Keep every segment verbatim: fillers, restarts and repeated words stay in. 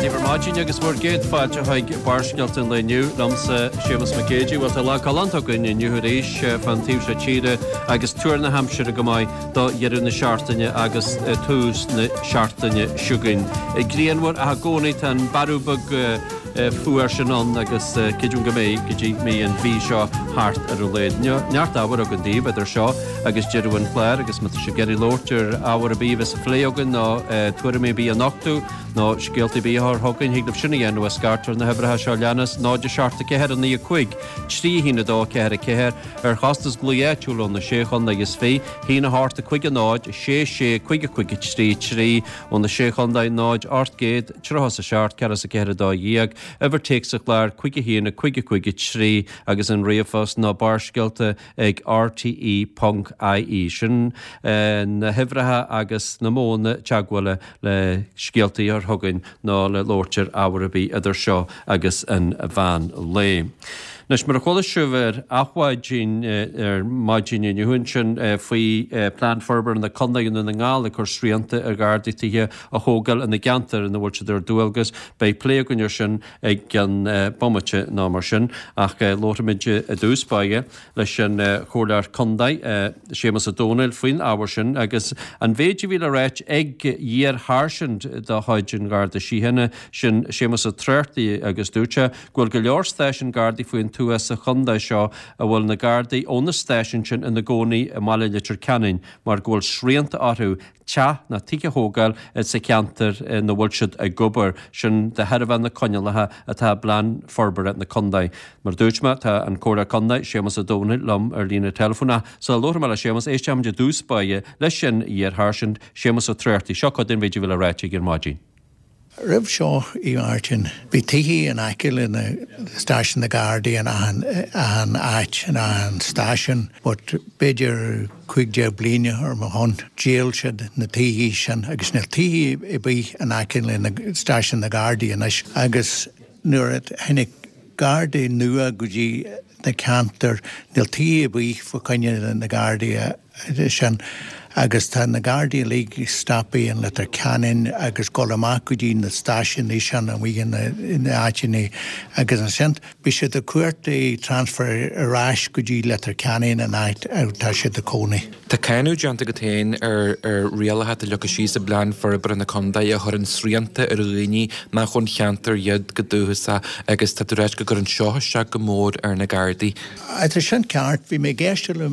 daoibh ar maidin agus bhur gcéad fáilte chuig Barrscéalta an lae inniu liomsa Séamus Mac Géidigh. Bhuel tá lá galánta againn inniu arís fan taobh seo tíre agus tuar na haimsire go maith do dheireadh na seachtaine agus tús na seachtaine seo chugainn. Grianmhar ach i gcónaí tá an bearradh beag fuar sin ann agus creidim go mbeidh go dtí go mbeidh an mhí seo thart ar a laghad. Neart ábhair againn daoibh idir seo agus deireadh an chláir agus má tá sibh ag iarraidh labhairt ar ábhar ar bith a bheas á phlé againn nó tuairimí ar bith a nochtadh nó scéalta ar bith a chur chugainn, thig libh sin a dhéanamh ach scairt ar na huimhreacha seo a leanas, náid a seacht a ceathair a naoi a cúig, trí a haon a dó ceathair a ceathair, ar chostas glao áitiúil ó na sé chontae is fiche, haon a hocht a cúig a náid, sé sé cúig a cúig a trí trí, ó na sé chontae, náid ocht gcéad tríocha is a seacht ceathracha is a ceathair a dó dhéag, uimhir téacs an chláir cúig a haon a cúig a cúig a trí agus an ríomhphost ná barrscéalta ag R T E ponc I E. Sin na huimhreacha agus na modhanna teagmhála le scéaltaí a chur chugainn nó le labhairt ar ábhar ar bith idir seo agus an mheán lae. Anois, mar a chuala sibh ar Adhmhaidin ar maidin inniu ansin faoi Plean Forbartha na Contae i nDún na nGall ag cur srianta ar Ghardaí tithe a thógáil ina gceantar ina bhfuil siad ar dualgas, beidh plé againn ar sin i gceann bomaite nó mar sin. Ach labharfaimid i dtús báire leis an Chomhairleoir Contae, Séamus Ó Domhnaill, faoin ábhar sin agus an mhéid a bhí le ráit ag iar-sháirsint de chuid an Gharda Síochána, sin Séamus Ó Tráchtaigh agus dúirt sé go bhfuil go leor stáisiún Gardaí faoin tuath sa chontae seo a bhfuil na Gardaí ó na stáisiúin sin ina gcónaí i mbaile Leitir Ceanainn mar go bhfuil srianta orthu teach ná tithe a thógáil sa cheantar ina bhfuil siad ag obair, sin de thairbhe na coinníollacha atá i bPlean Forbartha na Contae. Mar a dúirt mé, tá an Comhairleoir Contae, Séamus Ó Domhnaill, liom ar líne teileafóin ach sula labhróidh mé le Séamus, éistfimid i dtús báire leis an iar-sháirsint, Séamus Ó Tráchtaigh. Seo cuid den mhéid a bhí le ráite aige ar maidin. Roimh seo, a Mháirtín, bhí tithe in aice le na stáisiún na Gardaí in achan achan áit in achan stáisiún, but b'fhéidir cúig déag bliana ar mo shon, dhíol siad na tithe sin agus níl tithe ar bith in aice le na stáisiún na Gardaí anois agus nuair a tháinig Gardaí nua go dtí na ceantair, níl tithe ar bith fá choinne na Gardaí sin agus tá na Gardaí uilig stoptha in Leitir Ceanainn agus dul amach go dtí na stáisiúin sin amuigh in na áiteanna agus ansin bhí siad ag cuartú transfer ar ais go dtí Leitir Ceanainn an áit atá siad ag cónaí. Tá cáineadh déanta agat féin ar ar rialacha atá leagtha síos i bPlean Forbartha na Contae a chuireann srianta ar dhaoine nach ón cheantar iad go dúchasach agus tá tú ag ráit go gcuireann seo isteach go mór ar na Gardaí. Tá sin ceart, bhí mé ag éisteacht le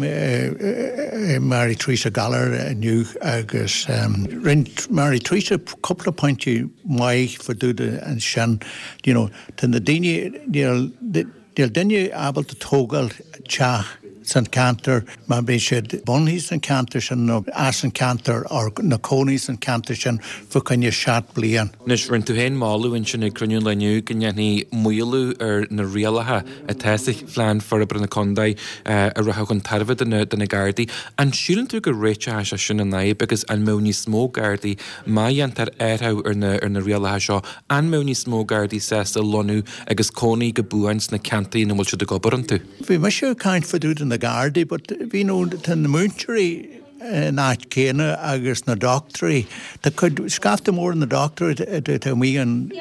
Mary Theresa Gallagher inniu agus rinne Mary Theresa cúpla pointí maith fá dtaobh de ansin, you know, tá na daoine, níl níl duine ábalta tógáil teach san ceantar má bhí siad bunaithe san ceantar sin nó as an ceantar or na cónaí san ceantar sin fá choinne seacht bliain. Anois, rinne tú féin moladh ansin ag cruinniú an lae inniu go ndéanfaí maolú ar na rialacha atá sa Phlean Forbartha na Contae a rachadh chun tairbhe do na do na Gardaí. An síleann tú go réiteoidh sé sin an fhadhb agus an mbeadh níos mó Gardaí, má dhéantar athrú ar na ar na rialacha seo, an mbeadh níos mó Gardaí sásta lonnú agus cónaí go buan sna ceantair ina bhfuil siad ag obair iontu? Bhí mise ag caint fá dtaobh de na Gardaí but bhí nó tá na múinteoirí in áit céanna agus na dochtúirí. Tá cuid scaifte mór na dochtúirí atá amuigh in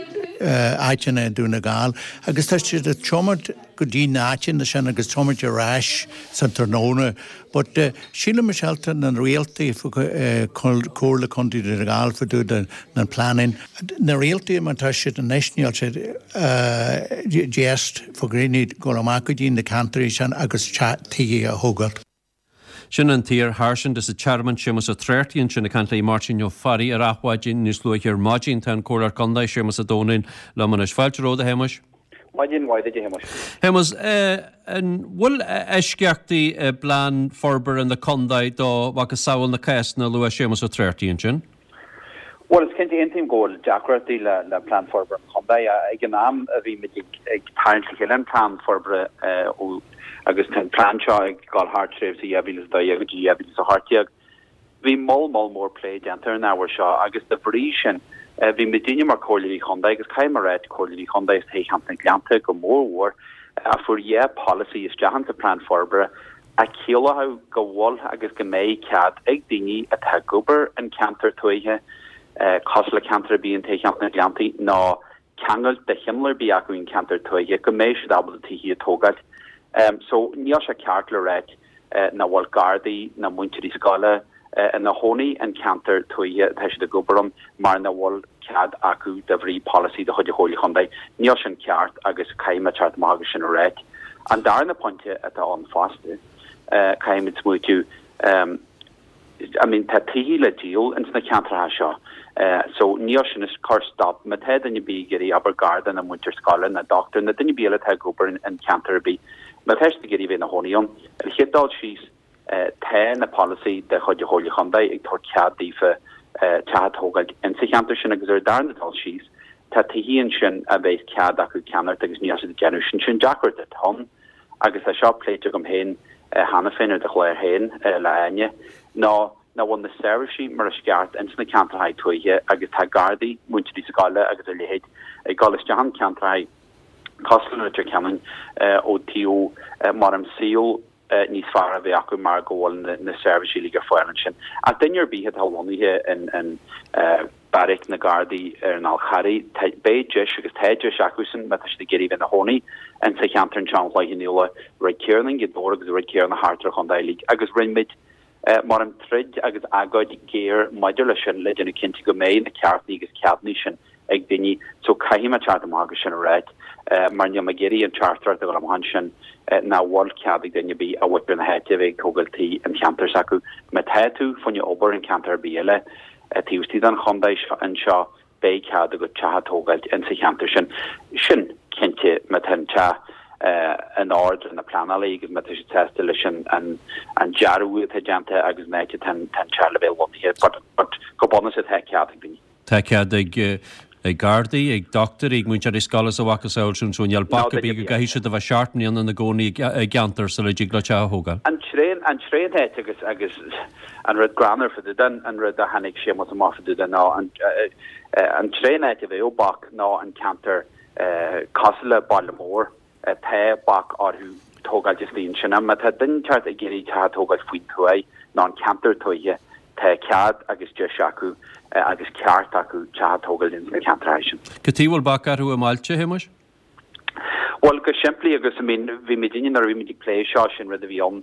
áiteanna i Dún na nGall agus tá siad ag tiomáint go dtí na áiteanna sin agus tiomáint ar ais san tráthnóna. But sílim myself na rialtaí Comhairle Contae Dhún na nGall fá dtaobh de na pleananna. Na rialtaí mar tá siad anois níl siad just fá dhaoine dul amach go dtí na ceantair sin agus tithe a thógáil. Sin an t-iar-sháirsint as an Tearmann Séamus Ó Tráchtaigh ansin ag caint le Máirtín Ó Fearraigh ar Adhmhaidin níos luaithe ar maidin. Tá an Comhairleoir Contae Séamus Ó Domhnaill liom anois. Fáilte romhat, a Shéamuis. Maidin mhaith duit, a Shéamuis. Shéamus, an bhfuil eisceachtaí i bPlean Forbartha na Contae do mhacasamhail na cásanna a luaigh Séamus Ó Tráchtaigh ansin? Bhuel, is cinnte, aontaím go bhfuil deacrachtaí le le Plean Forbartha an Chontae. Ag an am a bhí muid ag ag tarraingt le chéile an Plean Forbartha ó agus tá an plean seo ag dul thar tréimhse dhá mhíle is a dó dhéag go dtí dhá mhíle is a hocht déag, bhí moll moll mór plé déanta ar an ábhar seo agus de bhrí sin bhí muidinne mar Comhairleoirí Chontae agus caithfidh mé a ráit Comhairleoirí Chontae as Toghcheantar na Gleannta go mór mhór a fuair dhá polasaí isteach insa Plean Forbartha a chiallódh go bhfuil agus go mbeidh cead ag daoine atá ag obair in ceantar tuaithe, cosúil le ceantar ar bith in Toghcheantar na Gleanntaí, nó ceangal de chineál ar bith acu an ceantar tuaithe go mbeidh siad ábalta tithe a tógáil. So níl sé ceart le ráit nach bhfuil gardaí ná múinteoirí scoile ina chónaí an ceantar tuaithe atá siad ag obair ann mar nach bhfuil cead acu de bhrí polasaí de chuid an Chomhairle Chontae. Níl sin ceart agus caithfidh mé teacht amach agus sin a ráit. An darna pointe atá ann fosta, caithfimid smaoitiú, I mean tá tithe le díol ins na ceantracha seo so níl sin ag cur stop má tá duine ar bith ag iarraidh abair garda nó múinteoir scoile nó dochtúir nó duine ar bith eile atá ag obair in ceantar ar bith má tá siad ag iarraidh bheith ina chónaí ann. Ar an chéad dul síos tá na polasaí de chuid an Chomhairle Chontae ag tabhairt cead daofa teach a tógáil insa cheantar sin agus ar an darna dul síos tá tithe ansin a bheas cead acu ceannacht agus níl siad ag déanamh sin. Sin deacracht atá ann agus tá seo pléite agam féin cheana féin ar do chlár féin le Áine, ná nach bhfuil na seirbhísí mar is ceart ins na ceantracha tuaithe agus tá gardaí, múinteoirí scoile agus a leithéid ag dul isteach in ceantracha cosúil le Leitir Ceanainn ó taobh mar an saol níos fearr a bheith acu mar go bhfuil na seirbhísí uilig ar fáil ansin. Ach duine ar bith atá lonnaithe in beairic na Gardaí ar an Fhál Charraigh, beidh deis agus tá deis acusan má tá siad ag iarraidh bheith ina chónaí insa cheantar anseo an Chloich Cheann Fhaola, rud céanna i nGaoth Dobhair agus rud céanna thart ar an chontae uilig. Agus rinne muid mar an troid agus agóid géar maidir leis sin le déanamh cinnte go mbeidh na ceartaí agus ceadanna sin ag daoine. So caithfidh mé teacht amach agus sin a ráit mar níl mé ag iarraidh an teachtaireacht a dhul amach ansin nach bhfuil cead ag duine ar bith a mhuintir na háite a bheith ag tógáil tí an cheantar s'acu. Má tá tú fá choinne obair in ceantar ar bith eile taobh istigh den chontae seo anseo beidh cead agat teach a tógáilt insa cheantar sin. Sin cinnte má tá an teach in ord le na pleanálaí agus má tá siad sásta leis an an dearadh atá déanta agus an áit atá an teach le bheith lonnaithe but but go bunúsach tá cead ag daoine. Tá cead ag ag gardaí, ag dochtúirí, ag múinteoirí scoile is a mhacasamhail sin so níl bac ar bith go gcaithfidh siad a bheith seacht mbliana ina gcónaí i gceantar sula dtig leo teach a thógáil. An tréan an tréan áit agus agus an rud greannmhar fá dtaobh de an rud a tháinig Séamus amach fá dtaobh de ná an an tréan áit a bheadh bac ná an ceantar cosúil le baile mór tá bac orthu tógáil istigh ansin. Má tá duine inteacht ag iarraidh teach a tógáil faoin tuaith nó an ceantar tuaithe tá cead agus deis acu agus ceart acu teach a tógáil ins na ceantracha sin. Cad chuige a bhfuil bac orthu i mbailte, a Shéamuis? Bhuel, go simplí agus I mean bhí muid inne nuair a bhí muid ag plé seo sin rud a bhí ann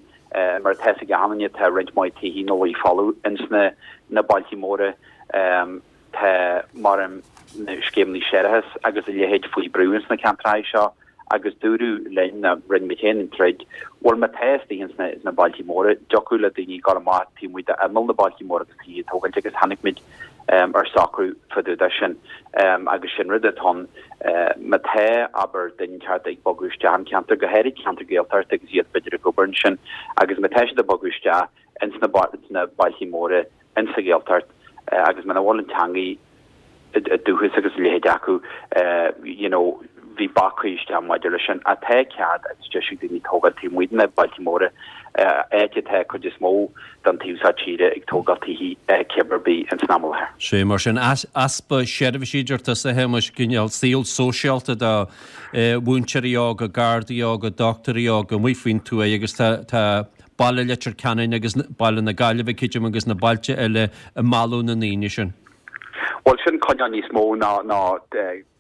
mar atá fhios ag achan duine tá roinnt mhaith tithe ina luí folamh ins na na bailtí móra tá mar an na scéimeanna séarachais agus a leithéid faoi brú ins na ceantracha seo agus dúradh linn ná rinne muid féin an troid, bhuel má tá istigh ins na na bailtí móra, dtiocfadh le daoine dul amach taobh amuigh d'imeall na bailtí móra agus tithe a tógáilt agus tháinig muid ar socrú fá dtaobh de sin agus sin rud atá ann má tá abair duine inteacht ag bogadh isteach an ceantar, go háirid ceantar Gaeltachta agus iad b'fhéidir ag obair ansin agus má tá siad ag bogadh isteach ins na na bailtí móra ins sa Ghaeltacht agus muna bhfuil an teangaidh dúchas agus a leithéid acu you know bhí bac curtha isteach maidir leis sin. Ach tá cead agus deis ag daoine tógáil taobh amuigh de na bailtí móra, áit atá cuid is mó den taobh seo tíre ag tógáil tithe cibé ar bith ins an am i láthair. Sé mar sin, easpa seirbhísí deir tusa a Shéamuis, cineál saol sóisialta do mhúinteoirí óga, gardaí óga, dochtúirí óga amuigh faoin tuaith agus tá baile Leitir Ceanainn agus baile na Gaillimhe creidim agus na bailte eile ag mealladh na ndaoine sin. Bhuel, sin coinneáil níos mó ná ná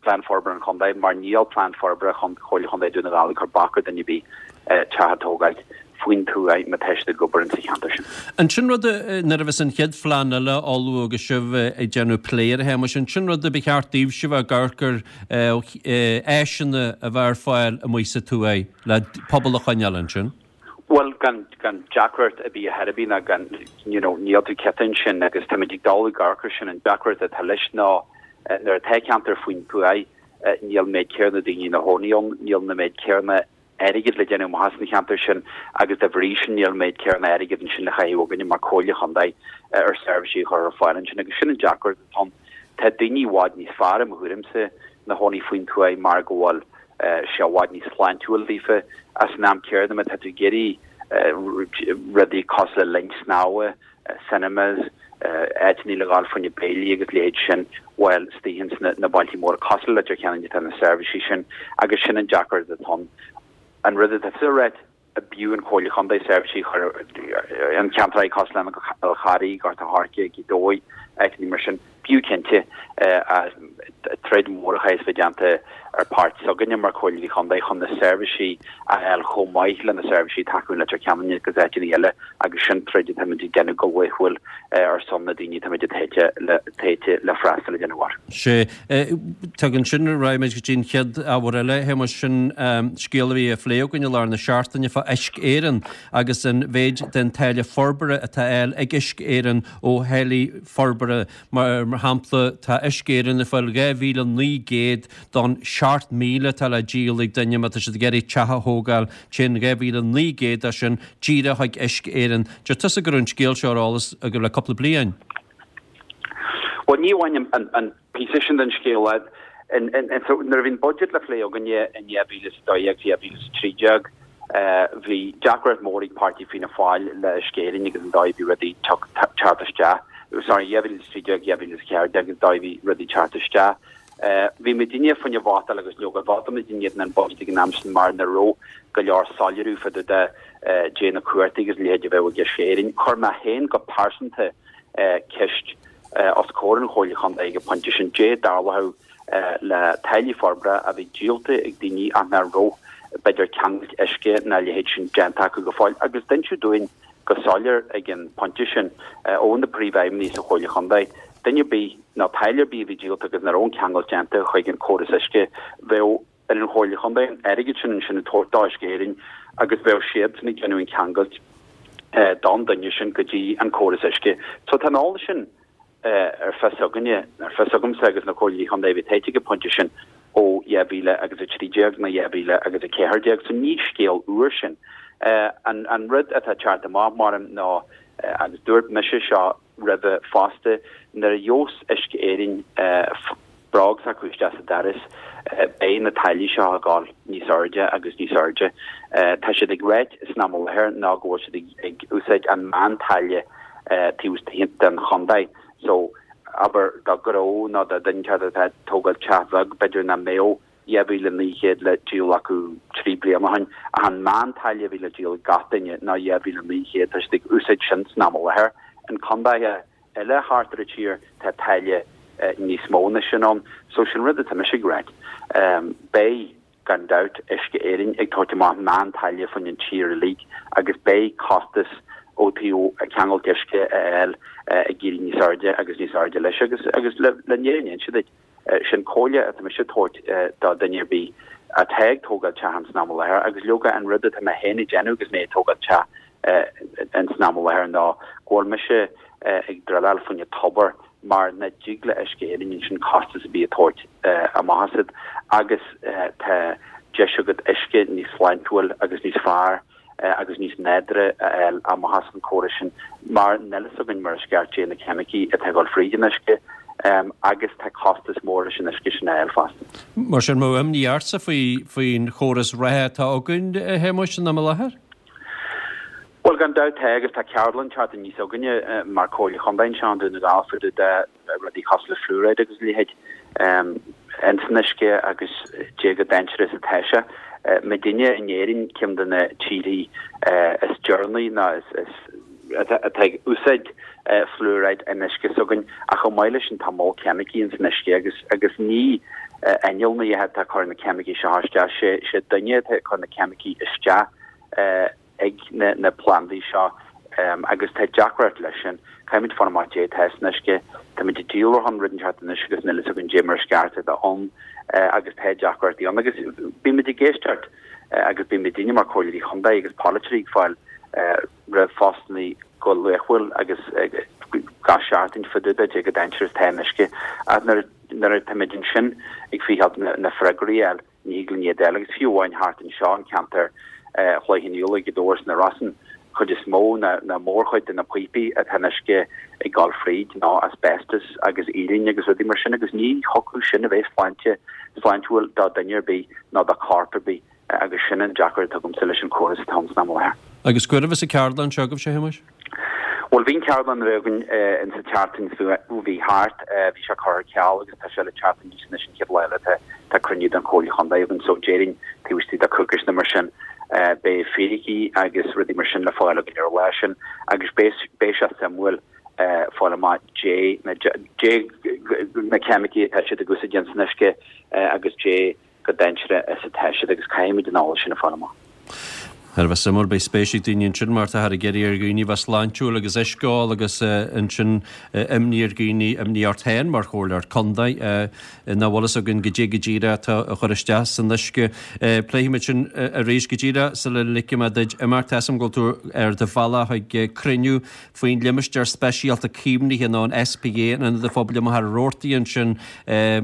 Plean Forbartha an Chontae, mar níl Plean Forbartha Chomhairle Chontae Dhún na nGall ag cur bac ar dhuine ar bith teach a tógáilt faoin tuaith má tá siad ag obair insa cheantar sin. An sin rud, nuair a bheas an chéad phlean eile á ullmhú agus sibh ag déanamh plé air, a Shéamuis, an sin rud a ba cheart daoibhse bheith ag amharc ar áiseanna a bheith ar fáil amuigh sa tuaith le pobal a choinneáil ansin? Bhuel, gan, gan deacracht ar bith a chor ar bith ná gan, you know, níl tú cinnte ansin agus táimid ag dul ag amharc air sin, an deacracht atá leis ná nuair atá ceantar faoin tuaith, níl an méid céanna daoine ina chónaí ann, níl na méid céanna airgid le déanamh amach as an cheantar sin agus dá bhrí sin níl an méid céanna airgid ansin le chaitheamh againne mar Comhairle Chontae ar seirbhísí a chur ar fáil ansin agus sin an deacracht atá ann. Tá daoine i bhfad níos fearr i mo thuairimse ina chónaí faoin tuaith mar go bhfuil sé i bhfad níos sláintiúil daofa ach san am céanna má tá tú ag iarraidh rudaí cosúil le linn snámha, cinemas, áiteanna le dhul fá choinne béilí agus leithéid sin, bhuel, istigh ins na bailtí móra cosúil le Leitir Ceanainn atá na seirbhísí sin agus sin an deacracht atá ann. An rud atá tusa a ráit, b'fhiú an Chomhairle Chontae seirbhísí a chur in ceantracha cosúil le An Fhál Charraigh, Gort a' Choirce, Gaoth Dobhair, áiteanna mar sin. B'fhiú cinnte troid mhór a chaithfeas bheith déanta ar páirt s'againne mar Chomhairleoirí Chontae chun na seirbhísí a fháil chomh maith le na seirbhísí atá acu in Leitir Ceanainn agus áiteanna eile agus sin troid atáimid ag déanamh go laethúil ar son na daoine atáimid tofa le freastal a dhéanamh orthu. Sea. Tugann sin raghaimid go dtí an chéad ábhar eile, a Shéamuis, sin scéal a bhí á phlé againn i lár na seachtaine fá Uisce Éireann agus an mhéid den táille forbartha atá á fháil ag Uisce Éireann ó tháillí forbartha. Mar shampla, tá Uisce Éireann ag fáil dhá mhíle naoi gcéad don seacht míle atá le díol ag duine má tá siad ag iarraidh teach a thógáil. Téann dhá mhíle naoi gcéad de sin díreach chuig Uisce Éireann. Deir tusa go raibh an scéal seo ar eolas agaibh le cúpla bliain. Bhuel, ní amháin an píosa sin den scéal. Nuair a bhí an budget le plé againne in dhá mhíle is a dó dhéag, dhá mhíle is a trí déag, bhí deacracht mór ag páirtí Fianna Fáil le Uisce Éireann agus an dóigh a bhí rudaí teacht isteach. Sorry, dhá mhíle is a trí déag, dhá mhíle is a ceathair déag agus an dóigh a bhí rudaí teacht isteach. Bhí muidinne fá choinne vótáil agus leoga vótáil muidinne in éadan an budget ag an am sin mar nach raibh go leor soiléiriú fá dtaobh de dé na cumhachtaí agus a leithéid a bheadh ag Uisce Éireann. Chuir mé féin go pearsanta ceist os comhair an Chomhairle Chontae ag an pointe sin, dé dtarlódh le táillí forbartha a bhí díolta ag daoine ach nach raibh b'fhéidir ceangailt uisce ná a leithéid sin déanta acu go fóill agus d'inseadh dúinn go soiléir ag an pointe sin ó na príomhfheidhmeannaigh sa Chomhairle Chontae, duine ar bith nó táille ar bith a bhí díolta agus nach raibh an ceangailt déanta chuig an córas uisce, bheadh ar an Chomhairle Chontae an airgead sin ansin a tabhairt d'Uisce Éireann agus bheadh siadsan ag déanamh an ceangailt don duine sin go dtí an córas uisce. So tá an eolas sin ar fios againne, ar fios agamsa agus na Comhairleoirí Chontae a bhí tofa ag an pointe sin ó dhá mhíle agus a trí déag nó dhá mhíle agus a ceathair déag. So ní scéal úr sin. An an rud atá ag teacht amach mar ná, agus dúirt mise seo roimhe fosta, nuair a gheobhas Uisce Éireann bróg s'acu isteach sa doras, beidh na táillí seo ag dul níos airde agus níos airde. Tá siad ag ráit san am i láthair ná go bhfuil siad ag úsáid an meán-táille taobh istigh den chontae. So, abair do ghnó nó do dhuine atá ag tógáil teach bheag, b'fhéidir nach mbeadh dhá mhíle naoi gcéad le díol acu trí bliana ó shin, ach an meán-táille a bhí le díol ag gach duine ná dhá mhíle naoi gcéad. Tá siad ag úsáid sin san am i láthair. In contaetha eile thart ar an tír tá táille níos mó ná sin ann. So sin rud atá mise ag ráit. Beidh, gan dabht, Uisce Éireann ag tabhairt amach meán-táille faoin an tír uilig agus beidh costas ó taobh ceangailt uisce a fháil ag éirí níos airde agus níos airde leis agus agus le le an fhírinne a inse duit, sin comhairle atá mise ag tabhairt do dhuine ar bith atá ag tógáil teach ins an am i láthair agus leoga an rud atá mé féin ag déanamh agus mé ag tógáil teach ins an am i láthair ná go bhfuil mise ag druileáil fá choinne tobar mar nach dtig le Uisce Éireann ansin costas ar bith a thabhairt amach asat agus tá deis agat uisce níos sláintiúil agus níos fearr agus níos nádúrtha a fháil amach as an córas sin mar níl a fhios againn mar is ceart dé na ceimicí atá ag dul fríd an uisce agus tá costas mór leis an uisce sin a fháil fosta. Mar sin, an bhfuil imní ortsa faoin chóras reatha atá againn, a Shéamuis, san am i láthair? Bhuel, gan dabht tá, agus tá ceardlann teacht aníos againne mar Chomhairle Chontae anseo i nDún na nGall fá dtaobh de rudaí cosúil le fluoride agus a leithéid ins an uisce agus dé chomh dainséarach is atá sé. Muidinne in Éirinn ceann de na tíorthaí is deireanaí nó is atá ag úsáid fluoride in uisce s'againn ach chomh maith leis sin tá moll ceimicí ins an uisce agus agus ní innealra atá ag cur na ceimicí seo isteach, sé duine atá ag cur na ceimicí isteach ag na plandaí seo agus tá deacracht leis sin. Caithfimid fáil amach dé atá san uisce. Táimid ag díol ar shon rud inteacht anois agus níl a fhios againn dé mar is ceart atá ann agus tá deacrachtaí ann agus bímid ag éisteacht agus bímid daoine mar comhairleoirí chontae agus polaiteoirí ag fáil ríomhphostanna go laethúil agus gach seachtain fá dtaobh de dé chomh dainséarach is atá an uisce ach nuair atáimid ansin ag feitheamh na freagraí a fháil Ní thig linn iad a fháil agus fiú amháin thart anseo an ceantar Chloich Cheann Fhaola, Gaoth Dobhair is na Rosann, chuid is mó ná mórchuid de na píopaí atá an uisce ag dul fríd ná asbestos agus uillinn agus rudaí mar sin agus ní thiocfadh sin a bheith sláinte sláintiúil do dhuine ar bith ná do chorp ar bith agus sin an deacracht atá agamsa leis an chóras atá ann san am i láthair. Agus cá huair a bheas an ceardlann seo agaibhse, a Shéamuis? Bhuel, bhí an ceardlann a bheith againn in sa tseachtain a bhí thart, bhí sé curtha ar ceal agus tá sé le teacht aníos anois an chéad lá eile tá tá cruinniú den Chomhairle Chontae againn so déarfainn taobh istigh de coicís nó mar sin beidh fíricí agus rudaí mar sin le fáil againn ar an lá sin agus beidh beidh sé suimiúil fáil amach dé na dé na ceimicí atá siad ag úsáid san uisce agus dé chomh dainséarach is atá siad agus caithfimid an eolas sin a fháil amach. Thar a bheith suimiúil, beidh spéis ag daoine ansin mar táthar ag iarraidh ar dhaoine bheith sláintiúil agus uisce a ól agus ansin imní ar dhaoine, imní ort féin mar chomhairleoir contae nach bhfuil fhios againn goidé go díreach atá á chur isteach san uisce. Pléifimid sin arís go díreach sula ligfidh mé duit imeacht. Tá fhios agam go bhfuil tú ar do bhealach chuig cruinniú faoin Limistéar Speisialta Caomhnaithe nó an SPA in Ionad an Phobail i Machaire Rabhartaigh ansin,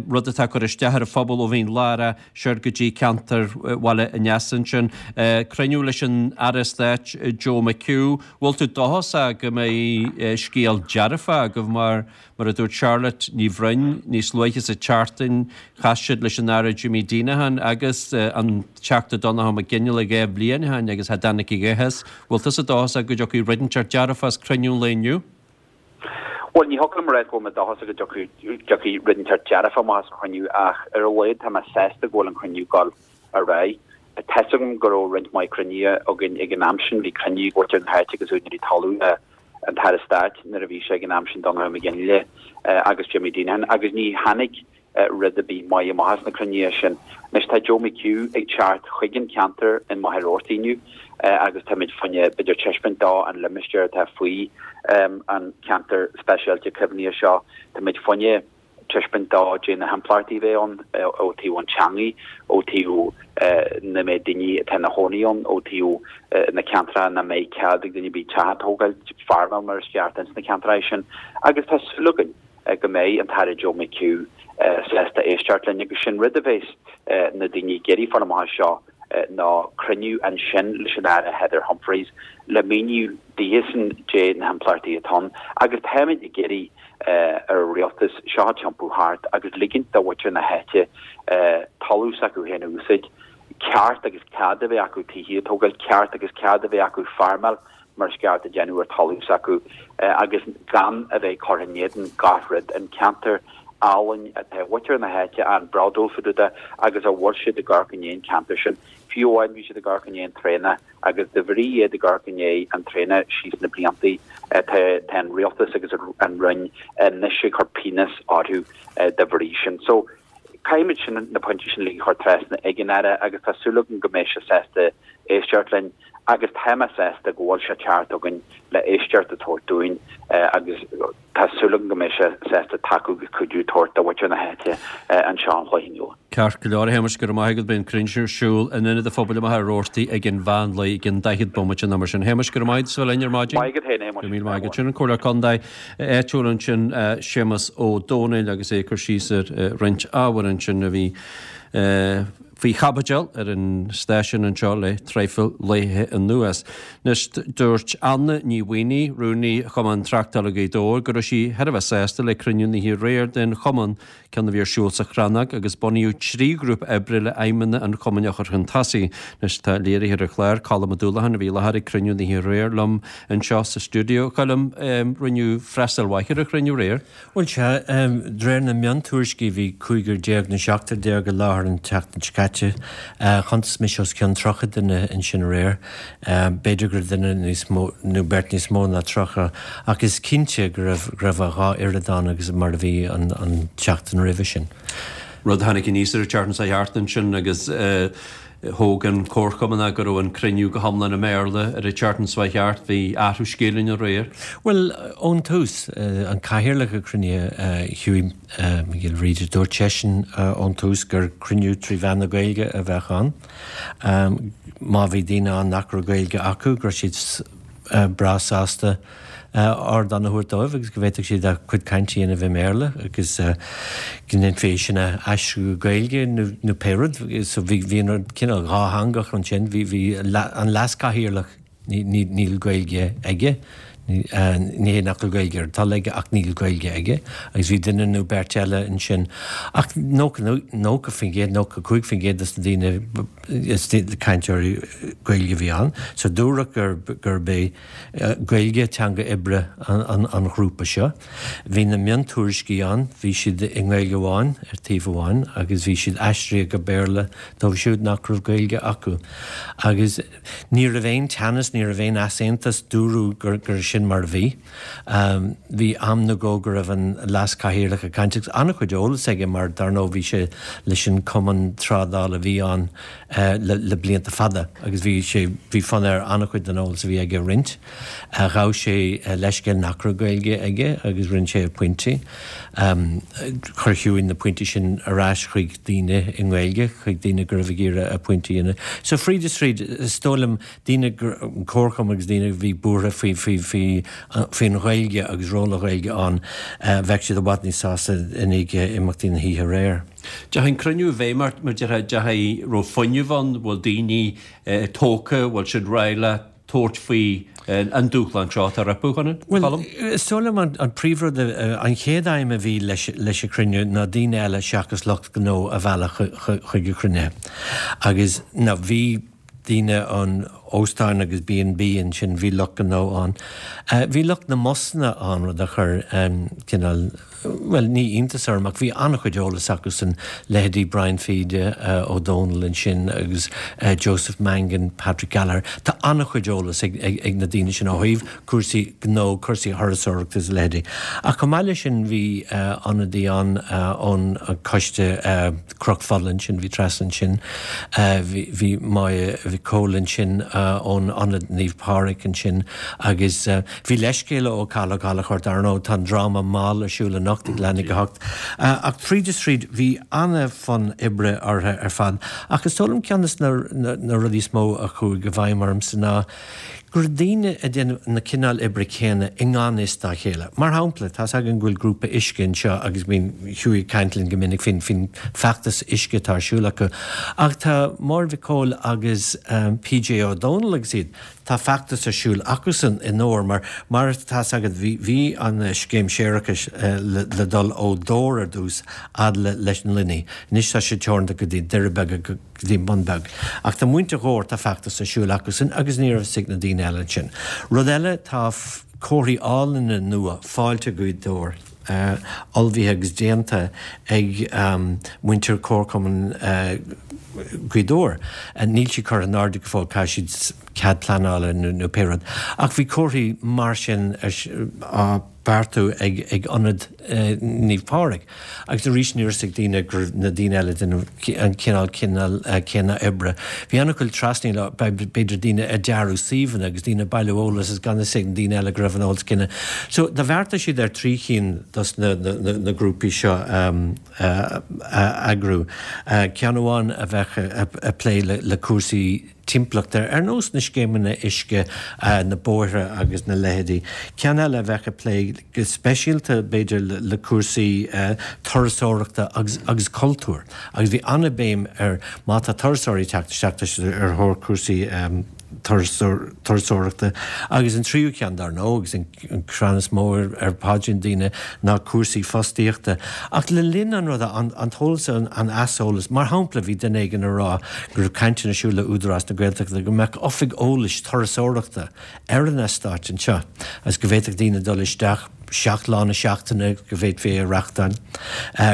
rud atá ag cur isteach ar an phobal ó Mhín Lárach siar go dtí ceantar Bhaile an Easa ansin. Cruinniú leis an Aire Stáit Joe McHugh. Bhfuil tú dóchasach go mbeidh scéal dearfach agaibh mar mar a dúirt Charlotte Ní Bhroin níos luaithe sa tseachtain chas siad leis an Aire Jimmy Deenihan agus an Teachta Donnchadh Mac Fhionnghaile dhá bhliain ó shin agus cha dtáinig a dhath as. Bhfuil tusa dóchasach go dtiocfaidh rud inteacht dearfach as cruinniú an lae inniu? Bhuel, ní thiocfadh liom a rá go bhfuil mé dóchasach go dtiocfaidh dtiocfaidh rud inteacht dearfach amach as an chruinniú ach ar a laghad tá mé sásta go bhfuil an cruinniú ag dul ar aghaidh. Tá fhios agam go raibh roinnt mhaith cruinnithe againn ag an am sin, bhí cruinniú ag muintir na háite agus úinéirí talún le an tAire Stáit nuair a bhí sé ag an am sin, Donnchadh Mac Fhionnghaile agus Jimmy Deenihan agus ní tháinig rud ar bith maith amach as na cruinnithe sin. Anois tá Joe McHugh ag teacht chuig an cheantar in Machaire Rabhartaigh inniu agus táimid fá choinne b'fhéidir taispeáint dó an limistéar atá faoi an ceantar speisialta caomhnaithe seo. Táimid fá choinne taispeáint dó dé na himpleachtaí a bheidh ann ó taobh an teangaidh, ó taobh na méid daoine atá ina chónaí ann, ó taobh na ceantracha nach mbeidh cead ag duine ar bith teach a tógáil, feirmeáil mar is ceart ins na ceantracha sin. Agus tá súil againn go mbeidh an tAire Joe McHugh sásta éisteacht linn agus sin rud a bheas na daoine ag iarraidh fáil amach as seo ná cruinniú ansin leis an Aire Heather Humphreys le míniú daofasan dé na himpleachtaí atá ann agus táimid ag iarraidh ar an rialtas seo a thiompú thart agus ligint do mhuintir na háite talamh s'acu féin a úsáid, ceart agus cead a bheith acu tithe a tógáil, ceart agus cead a bheith acu feirmeáil mar is ceart a dhéanamh ar talamh s'acu agus gan a bheith curtha in éadan gach rud, an ceantar álainn atá mhuintir na háite an-bhródúil fá dtaobh de agus a bhfuil siad ag amharc i ndiaidh an ceantar sin. Fiú amháin bhí siad ag amharc i ndiaidh an traenach agus de bhrí iad ag amharc i ndiaidh an traenach síos na bliantaí tá tá an rialtas agus an Roinn anois ag cur pionós orthu de bhrí sin. So caithfimid sin na pointí sin uilig a chur trasna ag an Aire agus tá súil agam go mbeidh sé sásta éisteacht linn agus tá mé sásta go bhfuil sé ag teacht chugainn le éisteacht a tabhairt dúinn agus tá súil agam go mbeidh sé sásta tacú agus cuidiú a tabhairt do mhuintir na háite anseo an Chloich Cheann Fhaola. Ceart go leor, a Shéamais, go raibh maith agat. Beidh an cruinniú ar siúl in Ionad an Phobail i Machaire Rabhartaigh ag an mheán lae i gcionn daichead bomaite nó mar sin. A Shéamais, go raibh maith agat as a bheith linn ar maidin. Maith agat féin, a Shéamais. Go raibh míle maith agat. Sin an Comhairleoir Contae áitiúil ansin, Séamas Ó Domhnaill agus é ag cur síos ar roinnt ábhar ansin a bhí faoi chaibidil ar an stáisiún anseo le traidhfil laetha anuas. Anois, dúirt Anna Ní Mhaonaigh, Rúnaí Chumann Tráchtála Ghaoth Dobhair, go raibh sí thar a bheith sásta le cruinniú na hoíche aréir den chumann, ceann a bhí ar siúl sa Chrannóg, agus bunaíodh trí ghrúpa oibre le aidhmeanna an chumainn a chur chun tosaigh. Anois, tá léiritheoir an chláir, Colm Ó Dúlacháin, a bhí i láthair ag cruinniú na hoíche aréir liom anseo sa stiúideo. A Choilm, rinneadh freastal mhaith ar an chruinniú aréir. Bhuel, sea, de réir na miontuairiscí bhí cúigear déag nó seachtar déag i láthair an tseachtain seo caite. Chuntas mise os cionn tríocha duine ansin aréir. B'fhéidir go raibh duine níos mó nó beirt níos mó ná tríocha ach is cinnte go raibh go raibh a dhá oiread ann agus mar a bhí an an tseachtain roimhe sin. Rud a tháinig aníos ar an tseachtain seo thart ansin agus Thóg an comharchumann go raibh an cruinniú go hiomlán i mBéarla ar an tseachtain seo thart. Bhí athrú scéil ann aréir. Bhuel, ón tús, an cathaoirleach an chruinnithe, Hughie Mac Giolla Bhríde, dúirt seisean ón tús gur cruinniú trí mheán na Gaeilge a bheadh ann. Má bhí daoine ann nach raibh Gaeilge acu, go raibh siad breá sásta ardán a thabhairt dóibh agus go bhféadfadh siad a gcuid cainte a dhéanamh i mBéarla agus go ndéanfaí é sin a aistriú go Gaeilge nó pé rud. So bhí bhí an rud cineál dhátheangach ansin. Bhí bhí an leas-chathaoirleach ní níl Gaeilge aige, ní hé nach bhfuil Gaeilge ar a toil aige ach níl Gaeilge aige agus bhí duine nó beirt eile ansin. Ach nócha nócha faoin gcéad, nócha cúig faoin gcéad des na daoine is cainteoirí Gaeilge a bhí ann. So dúradh gurb é Gaeilge teanga oibre an ghrúpa seo. Bhí na miontuairiscí ann, bhí siad i nGaeilge amháin ar taobh amháin agus bhí siad aistrithe go Béarla dóibh siúd nach raibh Gaeilge acu. Agus ní raibh aon teannas, ní raibh aon easaontas, dúradh gur sin sin mar a bhí. Bhí am nó dhó go raibh an leas-chathaoirleach ag caint agus an-chuid eolas aige mar dar ndóigh bhí sé leis an cumann trádála a bhí ann le blianta fada agus bhí sé, bhí fonn air an-chuid den eolas a bhí aige a roinnt. Ghabh sé leithscéal nach raibh Gaeilge aige agus rinne sé a phointí. Chuir Hughie na pointí sin ar ais chuig daoine i nGaeilge, chuig daoine go raibh ag iarraidh a pointí a dhéanamh. So fríd is tríd, is dóigh liom, daoine, an comharchumann agus daoine a bhí buartha faoi, faoi, faoi, faoin Ghaeilge agus ról na Gaeilge ann, bheadh siad i bhfad níos sásta i ndiaidh imeachtaí na hoíche aréir. Deachaigh an cruinniú i bhfeidhm ort, mar déarfá, deachaigh, raibh fuinneamh ann, bhfuil daoine tógtha, bhfuil siad réidh le tabhairt faoi an dúshlán seo atá rompu, a Choilm? Bhuel, is dóigh liom an príomhrud, an chéad aidhm a bhí leis an chruinniú ná daoine eile seachas lucht gnó a mhealladh chuig an chruinnithe. Agus now bhí daoine an óstáin agus B and B ansin, bhí lucht gnó ann. Bhí lucht na mbusanna ann, rud a chuir cineál, bhuel, ní iontas orm ach bhí an-chuid eolas acusan, leithéidí Brian Fede Ó Dónaill ansin agus Joseph Mangan, Patrick Gallagher. Tá an-chuid eolas ag na daoine sin ó thaobh cúrsaí gnó, cúrsaí thurasóireachta is a leithéidí. Ach chomh maith leis sin bhí ionadaí ann ón choiste Cnoc Fola ansin, bhí Treasa ansin, bhí Máire Mhic Cóil ansin ón Ionad Naomh Pádraig ansin agus bhí leithscéal ó Cathal Ó Gallchóir, dar ndóigh tá an dráma Mall ar siúl anocht ag leath i ndiaidh a hocht. Ach tríd is tríd bhí an-fhonn oibre orthu ar fad. Ach is dóigh liom ceann de na rudaí is mó a chuaigh i bhfeidhm ormsa ná go raibh daoine ag déanamh na cineál oibre céanna i ngan fhios dá chéile. Mar shampla, tá's againn go bhfuil grúpa uisce anseo agus bíonn Hughie ag caint linn go minic faoin faoin feachtas uisce atá ar siúl acu. Ach tá Máire Mhic Cóil agus PJ Ó Dónaill agus iad, tá feachtas ar siúl acusan i nDobhar mar mar tá's agat bhí bhí an scéim séarachais le le dul ó Dhobhar ar dtús fhad le leis an Luinnigh. Anois tá sé teoranta go dtí Doire Beaga go go dtí an Bun Beag. Ach tá muintir Dhobhair, tá feachtas ar siúl acusan agus ní raibh fhios ag na daoine eile ansin. Rud eile, tá comharthaí álainne nua, Fáilte Gaoth Dobhair, ullmhaithe agus déanta ag muintir Chomharchumann Ghaoth Dobhair. Níl siad curtha in airde go fóill, caithfidh siad cead pleanála nó pé rud. Ach bhí comharthaí mar sin á beartú ag ag Ionad Naomh Pádraig. Agus arís ní raibh fhios ag daoine go raibh na daoine eile ag déanamh an cineál cineál céanna oibre. Bhí an-chuid trasnaíl, b'fhéidir daoine ag dearadh suíomhanna agus daoine ag bailiú eolas is gan fhios ag na daoine eile go raibh an eolas céanna. So do bheartaigh siad ar trí chinn dos na na na grúpaí seo a eagrú. Ceann amháin a bheadh ag plé le le cúrsaí timpeallachta, ar nós na scéimeanna uisce, na bóithre agus na leithéidí. Ceann eile a bheadh ag plé go speisialta, b'fhéidir, le cúrsaí turasóireachta agus agus cultúir. Agus bhí an-bhéim ar má tá turasóirí ag teacht isteach, tá siad ar thóir cúrsaí turasóireachta. Agus an tríú ceann, dar ndóigh, agus an crann is mó ar phaidrín daoine, ná cúrsaí fostaíochta. Ach le linn an ruda, an t-eolas, an aiseolas, mar shampla, bhí duine éigin ag rá go raibh cainteanna ar siúl le Údarás na Gaeltachta go mbeadh oifig eolais turasóireachta ar an eastát anseo agus go bhféadfadh daoine dul isteach seacht lá na seachtaine, go bhféadfaí é a reáchtáil,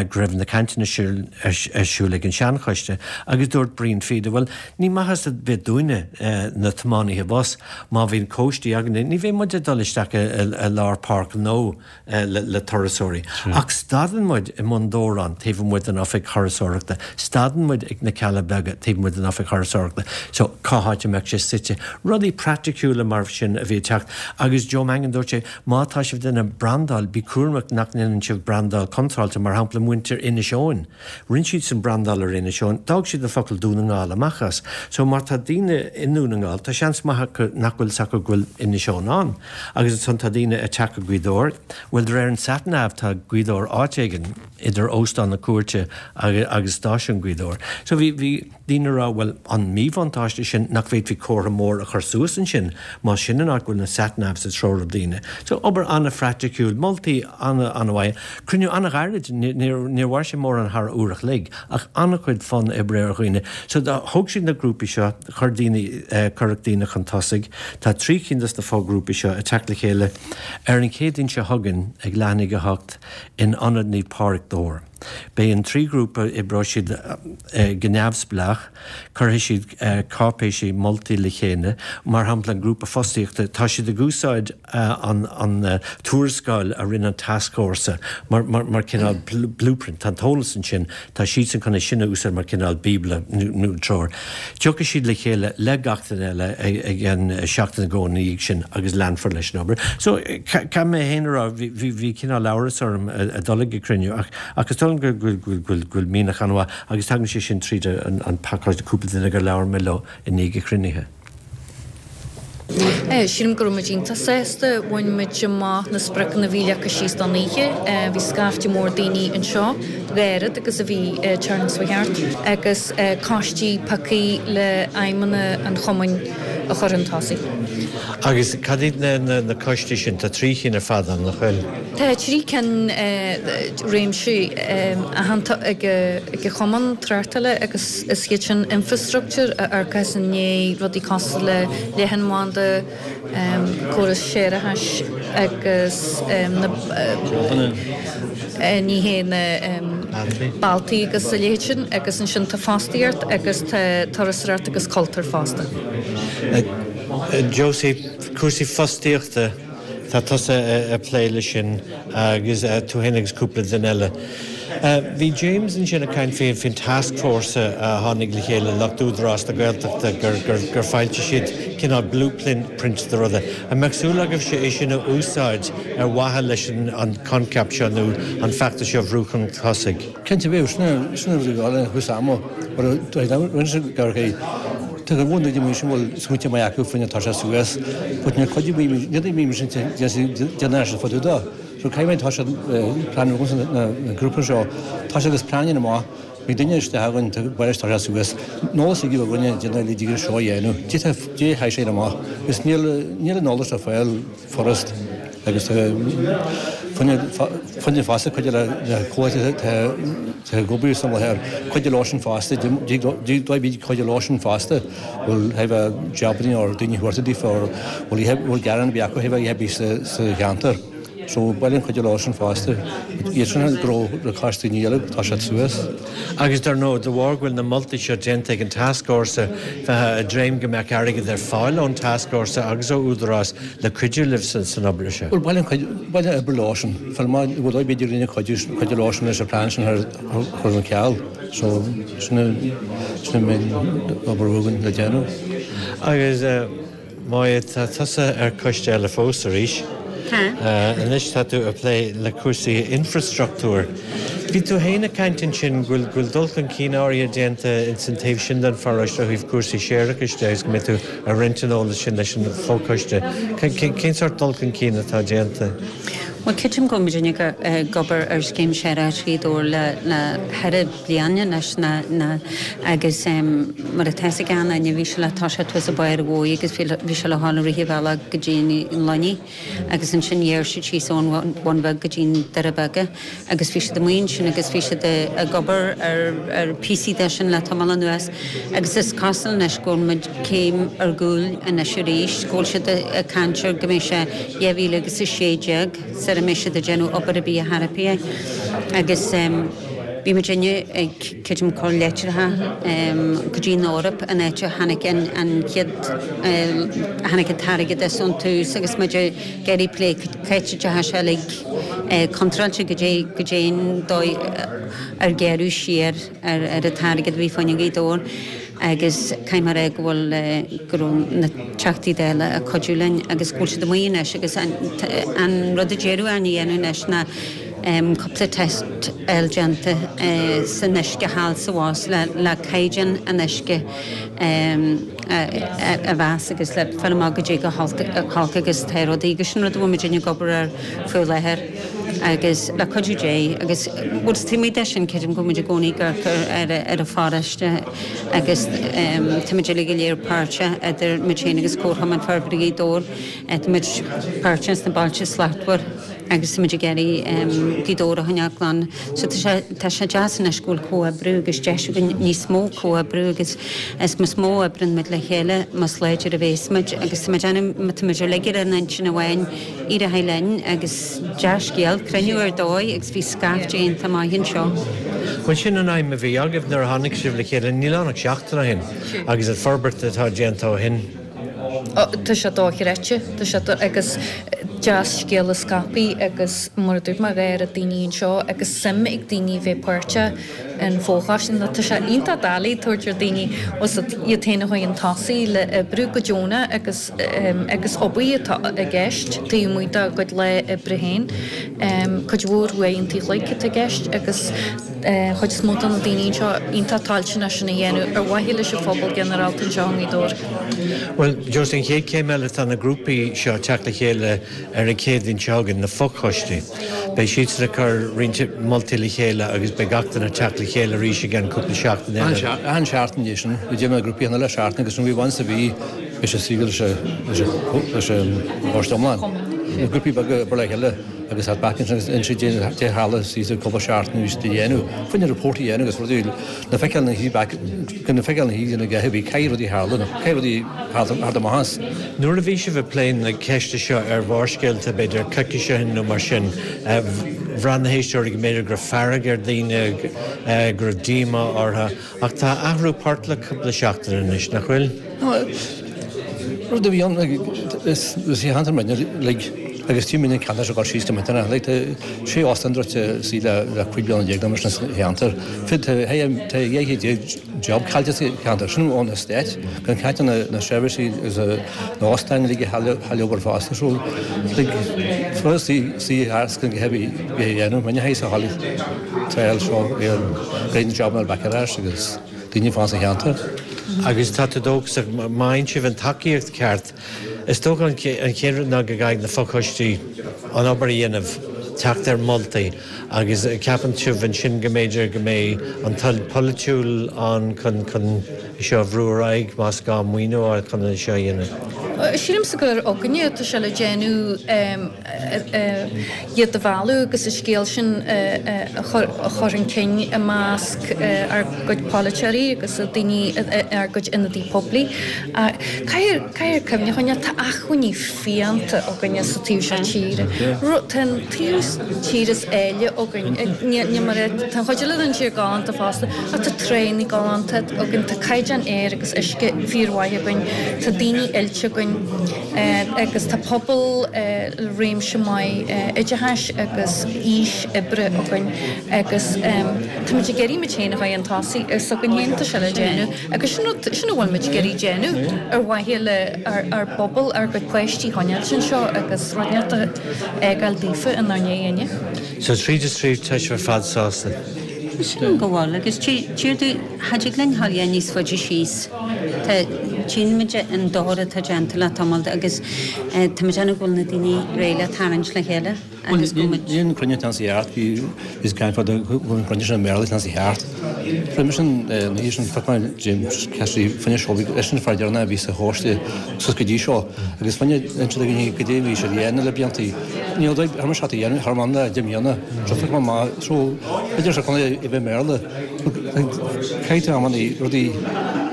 go raibh na cainteanna sin ar siúl ag an seanchoiste agus dúirt Brian Fede, bhuel, ní maitheas ar bith dúinne, na tiománaithe bus, má bhíonn cóistí againne, ní bheidh muid ag dul isteach i lár páirc ghnó le turasóirí. Ach stadann muid i mBun Dobhráin taobh amuigh den oifig thurasóireachta, stadann muid ag na Cealla Beaga taobh amuigh den oifig thurasóireachta. So, cá háit a mbeadh sé suite? Rudaí praiticiúla mar sin a bhí ag teacht. Agus Joe Mangan, dúirt sé, má tá sibh ag déanamh brandáil, bí cúramach nach ndéanann sibh brandáil contráilte, mar shampla muintir Inis Eoghain, rinne siadsan brandáil ar Inis Eoghain, d'fhág siad an focal Dún na nGall amach as. So má tá daoine i nDún na nGall, tá seans maith acu nach bhfuil 'fhios acu go bhfuil Inis Eoghain ann. Agus ansan tá daoine ag teacht go Gaoth Dobhair, bhuel de réir an sat nav tá Gaoth Dobhair áit éigin idir Óstán na Cúirte agus Stáisiún Ghaoth Dobhair. So bhí, bhí. Daoine ag rá, bhuel, an míbhuntáiste sin nach bhféadfaí comhartha mór a chur suas ansin más sin an áit go bhfuil na sat navs ag treorú daoine. So, obair an-phraiticiúil, moltaí an-an-mhaith, cruinniú an-ghairid, níor mhair sé mórán thar uair a chloig, ach an-chuid fonn oibre ar dhaoine. So, thóg siad na grúpaí seo, chuir daoine, cuireadh daoine chun tosaigh. Tá trí cinn dos na foghrúpaí seo ag teacht le chéile ar an Chéadaoin seo chugainn ag leath i ndiaidh a hocht in Ionad Naomh Pádraig, Dobhar. Beidh an trí ghrúpa, oibreoidh siad go neamhspleách, cuirfidh siad cáipéisí moltaí le chéile, mar shampla an grúpa fostaíochta, tá siad ag úsáid an an tuarascáil a rinne an tascfhórsa mar mar cineál blueprint, tá an t-eolas ansin, tá siadsan chun é sin a úsáid mar cineál bíobla nó treoir. Tiocfaidh siad le chéile le gach duine eile ag an seachtain nó dhó ina dhiaidh sin agus leanfar leis an obair. So, caithfidh mé féin a rá, bhí bhí cineál amhras orm a dul ag an cruinniú ach ach is dóigh liom go go go bhfuil mianach an-mhaith agus tagann sé sin tríd an an pacáiste cúpla duine gur labhair mé leo i ndiaidh an chruinnithe. Sílim go raibh muid iontach sásta, bhain muid amach na spriocanna a bhí leagtha síos don oíche. Bhí scaifte mór daoine anseo, dhá oiread agus a bhí an tseachtain seo thart, agus coistí pioctha le aidhmeanna an chumainn a chur chun tosaigh. Agus cad iad na coistí sin? Tá trí chinn ar fad ann, nach bhfuil? Tá trí cinn réimse aitheanta ag an chumann tráchtála agus is iad sin infrastructure a amharcas i ndiaidh rudaí cosúil le leathanbhanda, córas séarachais agus na ní hé na bealtaí agus a leithéid sin agus ansin tá fostaíocht agus tá turasóireacht agus cultúr fosta. Josie, cúrsaí fostaíochta, tá tusa ag plé leis sin agus tú féin agus cúpla duine eile. Bhí James ansin ag caint faoin taskforce a tháinig le chéile, lucht Údarás na Gaeltachta, gur foilsigh siad cineál blueprint de rudaí. An mbeadh súil agaibhse é sin a úsáid ar mhaithe leis an coincheap seo nó an feachtas seo a bhrú chun tosaigh? Cinnte bheadh, sin an rud a bhí thús ama, mar rinne sé gar Tá go bhfuil daoine sin bhfuil smaointe maith acu faoina tá sé suas, but níor chuidigh mé, níor mé sin déanamh sin fadú dó. So caithfidh mé tá sé plean na grúpa seo, tá sé agus plean amach, bhí duine isteach againn tá baile tá sé suas, an eolas ag againne déanamh le díreach seo a dhéanamh, dé chaith sé amach, agus níl níl an eolas ar fáil furast agus fuinneamh fosta cuid de na comhaltaí atá ag obair san láthair, cuid de leo sin fosta, bhí cuid de leo sin fosta, bhfuil a bheith jabanna nó daoine a thabhairt daofa or bhfuil gearán ar bith acu a bheith sa cheantar. So baineann cuid de leo sin fosta. Iad sin ag gnó le cás daoine eile, tá siad suas. Agus dar ndóigh, de bharr go bhfuil na moltaí seo déanta ag an Tascfhórsa, bheifeá ag dréim go mbeadh airgead ar fáil ón Tascfhórsa agus ó Údarás le cuidiú libh san obair seo. Bhuel, baineann cuid, baineann obair leo sin. Fáil maith, bhuel, b'fhéidir rinne cuidiú, cuidiú leo sin leis an plean sin a chur ar ceal. So, sin sin an main obair againn le déanamh. Agus, Máire, tá tusa ar choiste eile fós arís. Tá. Anois tá tú ag plé le cúrsaí infreastruchtúir. Bhí tú féin ag caint ansin go bhfuil go bhfuil dul chun cinn áirithe déanta ins an taobh sin den pharóiste ó thaobh cúrsaí séarachais de agus go mbeidh tú ag roinnt an eolais sin leis an fhochoiste. Cén sórt dul chun cinn atá déanta? Bhuel, creidim go bhfuil muidinne ag obair ar scéim séarachais Ghaoth Dobhair le le ceithre bliana anois na na agus mar atá fhios ag achan duine bhí sé le toiseacht thuas i bPáir Mhóidh agus bhí bhí sé le dhul i rith an bhealaigh go dtí an Luinnigh agus ansin ghearr siad síos ón Bhun Bheag go dtí an Doire Beaga agus bhí siad amuigh ansin agus bhí siad ag obair ar ar píosaí de sin le tamall anuas agus is cosúil anois go bhfuil muid céim ar gcúl anois arís, go bhfuil siad ag caint ar go mbeidh sé dhá mhíle agus a sé déag sara mbeidh siad ag déanamh obair ar bith ar chor ar bith agus bhí muidinne ag creidim cur leitreacha go dtí an Eoraip an áit a tháinig an an chéad a tháinig an t-airgead as ón tús agus muid ag iarraidh plé cá háit a dteachaigh sé uilig contráilte goidé goidé an dóigh ar gearradh siar ar ar an t-airgead a bhí fá choinne Ghaoth Dobhair agus caithfidh mé a rá go bhfuil go raibh na Teachtaí Dála ag cuidiú linn agus go bhfuil siad amuigh anois agus an an rud a deireadh againn a dhéanamh anois ná cúpla test a fháil déanta san uisce thall sa Mhos le le caighdeán an uisce a mheas agus le fáil amach goidé chomh holc agus atá rudaí agus sin rud a bhfuil muidinne ag obair air faoi láthair agus le cuidiú Dé agus bhuel taobh amuigh de sin creidim go bhfuil muid i gcónaí ag amharc ar ar an pharóiste agus tá muid uilig go léir páirteach idir muid féin agus Comharchumann Forbartha Ghaoth Dobhair tá muid páirteach sna Bailte Slachtmhar. agus táimid ag iarraidh Gaoth Dobhair a choinneáil glan. So tá sé tá sé deas anois go bhfuil comhoibriú agus deis againn níos mó comhoibriú agus is más mó a oibreann muid le chéile más láidir a bhéas muid agus tá muid ann má tá muid uilig ar an intinn amháin éireoidh linn agus dea-scéal, cruinniú ar dóigh agus bhí scaifte iontach maith anseo. Bhuel sin an aidhm a bhí agaibh nuair a tháinig sibh le chéile, níl ann ach seachtain ó shin agus an forbairt atá déanta ó shin. Tá sé dochreidte, tá sé agus dea-scéal a scaipeadh agus mar a dúirt mé dhá oiread daoine anseo agus suim ag daoine bheith páirteach in fochoiste nó tá sé iontach doiligh tabhairt ar daoine os iad féin a chur chun tosaigh le oibriú go deonach agus agus obair atá i gceist taobh amuigh dá gcuid lá oibre féin. Cuid mhór uaireanta an chloig atá i gceist agus chuid is mó de na daoine anseo iontach toilteanach sin a dhéanamh ar mhaithe leis an phobal ginearálta anseo i nGaoth Dobhair. Bhuel, Josie, an chéad chéim eile tá na grúpaí seo ag teacht le chéile ar an Chéadaoin seo chugainn, na fochoistí. Beidh siadsan ag cur roinnt moltaí le chéile agus beidh gach duine ag teacht le chéile arís i gceann cúpla seachtain eile. Achan seachtain é sin, bhí déanamh na grúpaí cheana le seachtain agus bhí once a bhí beidh sé suí leis an choiste iomlán. Na grúpaí beaga ag obair le chéile agus at back ansin agus inse dé tharla suas le cúpla seachtain bhí siad a dhéanamh, faoina report a dhéanamh agus rudaí le feiceáil na hí back le feiceáil na hí na gceathair bhí caithfidh rudaí tharla nó caithfidh rudaí thar do maitheas. Nuair a bhí sibh ag plé na ceiste seo ar Bharrscéalta, b'fhéidir coicís ó shin nó mar sin, bhraith na héisteoirí go mb'fhéidir go raibh fearg ar dhaoine, go raibh díomá orthu. Ach tá athrú poirt le cúpla seachtain anois, nach bhfuil? Rud a bhí ann, is í cheantar muidne, like, agus tí muidne ceantar seo ag dul síos go millteanach, like, tá sé óstán druidte suí le le cúig bliana déag nó mar sin sa cheantar. Tá tá dhá chéad déag job caillte sa cheantar, sin ón Stát, gan caint ar na na seirbhísí agus na hóstáin uilig a chaill obair fosta. So, like, rud suí suí thart gan go heavy a dhéanamh, muidne a théis a dhul triail seo ar go na jobanna back ar ais agus daoine fán sa cheantar. Agus tá tú dóchasach, má fhaigheann sibh an tacaíocht ceart, is dócha an chéad rud ná go gcaithfidh na fochoistí an obair a dhéanamh, teacht ar mholtaí agus ceapann sibh ansin go mb'fhéidir go mbeidh an toil polaitiúil ann chun chun seo a bhrú ar aghaidh más gá maoiniú a fháil chun é seo a dhéanamh? Sílimse gur againne atá sé le déanamh iad a mhealladh agus an scéal sin a chur chun cinn i measc ár gcuid polaiteoirí agus daoine ár gcuid ionadaí poiblí. Caithfear cuimhne a choinneáil, tá acmhainní fiánta againne sa taobh seo tíre. Tá an taobh tíre is áille againn. Ní mar tá an chuid eile den tír galánta fosta ach tá tránna galánta againn, tá caighdeán aeir agus uisce fíormhaith againn, tá daoine oilte againn agus tá pobal le réimse maith oideachais agus aois oibre againn agus táimid ag iarraidh muid féin a chur chun tosaigh, is againn féin atá sé le déanamh agus sin rud, sin a bhfuil muid ag iarraidh déanamh ar mhaithe le ár bpobal, ár gcuid páistí a choinneáilt anseo agus rud inteacht a fhágáil daofa inár ndiaidh inniu. So tríd is tríd tá sibh ar fad sásta? Sílim go bhfuil agus tír tú, cha dtig linn a ghabháil níos faide síos. Tá, tchíonn muid an dochar atá déanta le tamall agus tá muid ag déanamh go bhfuil na daoine réidh le tarraingt le chéile agus go bhfuil muid. Níl an cruinniú atá sa cheart, bhí bhí caint fada go bhfuil an cruinniú sin i mBéarla atá sa cheart. Roimhe sin, na oíche sin, phioc mé James Cassidy fá choinne seo, eisean an fear deireanach a bhí sa choiste suas go dtí seo agus fá choinne inse do dhaoine goidé a bhí siad a dhéanamh le blianta. Níl dóigh thar mar seacht a dhéanamh thar am le deich mbliana. So phioc mé amach, so b'fhéidir sa chontae a bheith i mBéarla. Caithfidh tú amannaí rudaí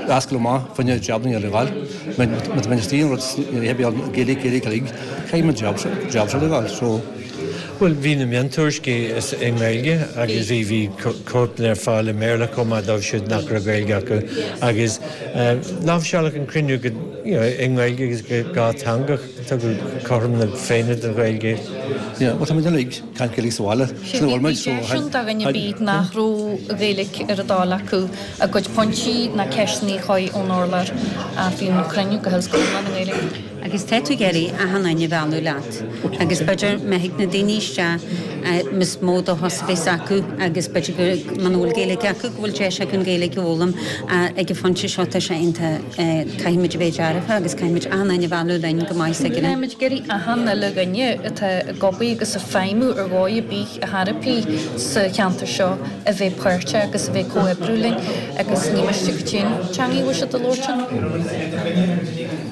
a oscailt amach fá choinne jabanna a fháil. Má tá mé istigh an rud ní bheidh Gaeilge, Gaeilge, Gaeilge, caithfidh mé job job seo a fháil. So. Bhuel, bhí na miontuairiscí i nGaeilge agus bhí bhí cóipeanna ar fáil i mBéarla chomh maith dóibh siúd nach raibh Gaeilge acu agus láimhseáladh an cruinniú go you know i nGaeilge agus go dátheangach, tugadh cothrom na Féinne don Ghaeilge. Yeah, bhuel tá muid uilig ag caint Gaeilge sa bhaile, sin a bhfuil muid, so. Bhí deis ann do dhuine ar bith nach raibh Gaeilge ar a dtoil acu a gcuid pointí ná ceisteanna a chur ón urlár ach bhí an cruinniú go huile is go hiomlán i nGaeilge. Agus tá tú ag iarraidh achan duine a mhealladh leat agus b'fhéidir má thig na daoine isteach is mó dóchas a bheas acu agus b'fhéidir go muna bhfuil Gaeilge acu go bhfuil deis acu an Ghaeilge a fhoghlaim ag an phointe seo tá sé iontach caithfidh muid a bheith dearfa agus caithfidh muid achan duine a mhealladh linn go maith s'againne. Tá muid ag iarraidh achan uile dhuine atá ag obair agus ag feidhmiú ar dhóigh ar bith ar chor ar bith sa cheantar seo a bheith páirteach agus a bheith ag comhoibriú linn agus ní miste goidé an teanga a bhfuil siad a labhairt ann.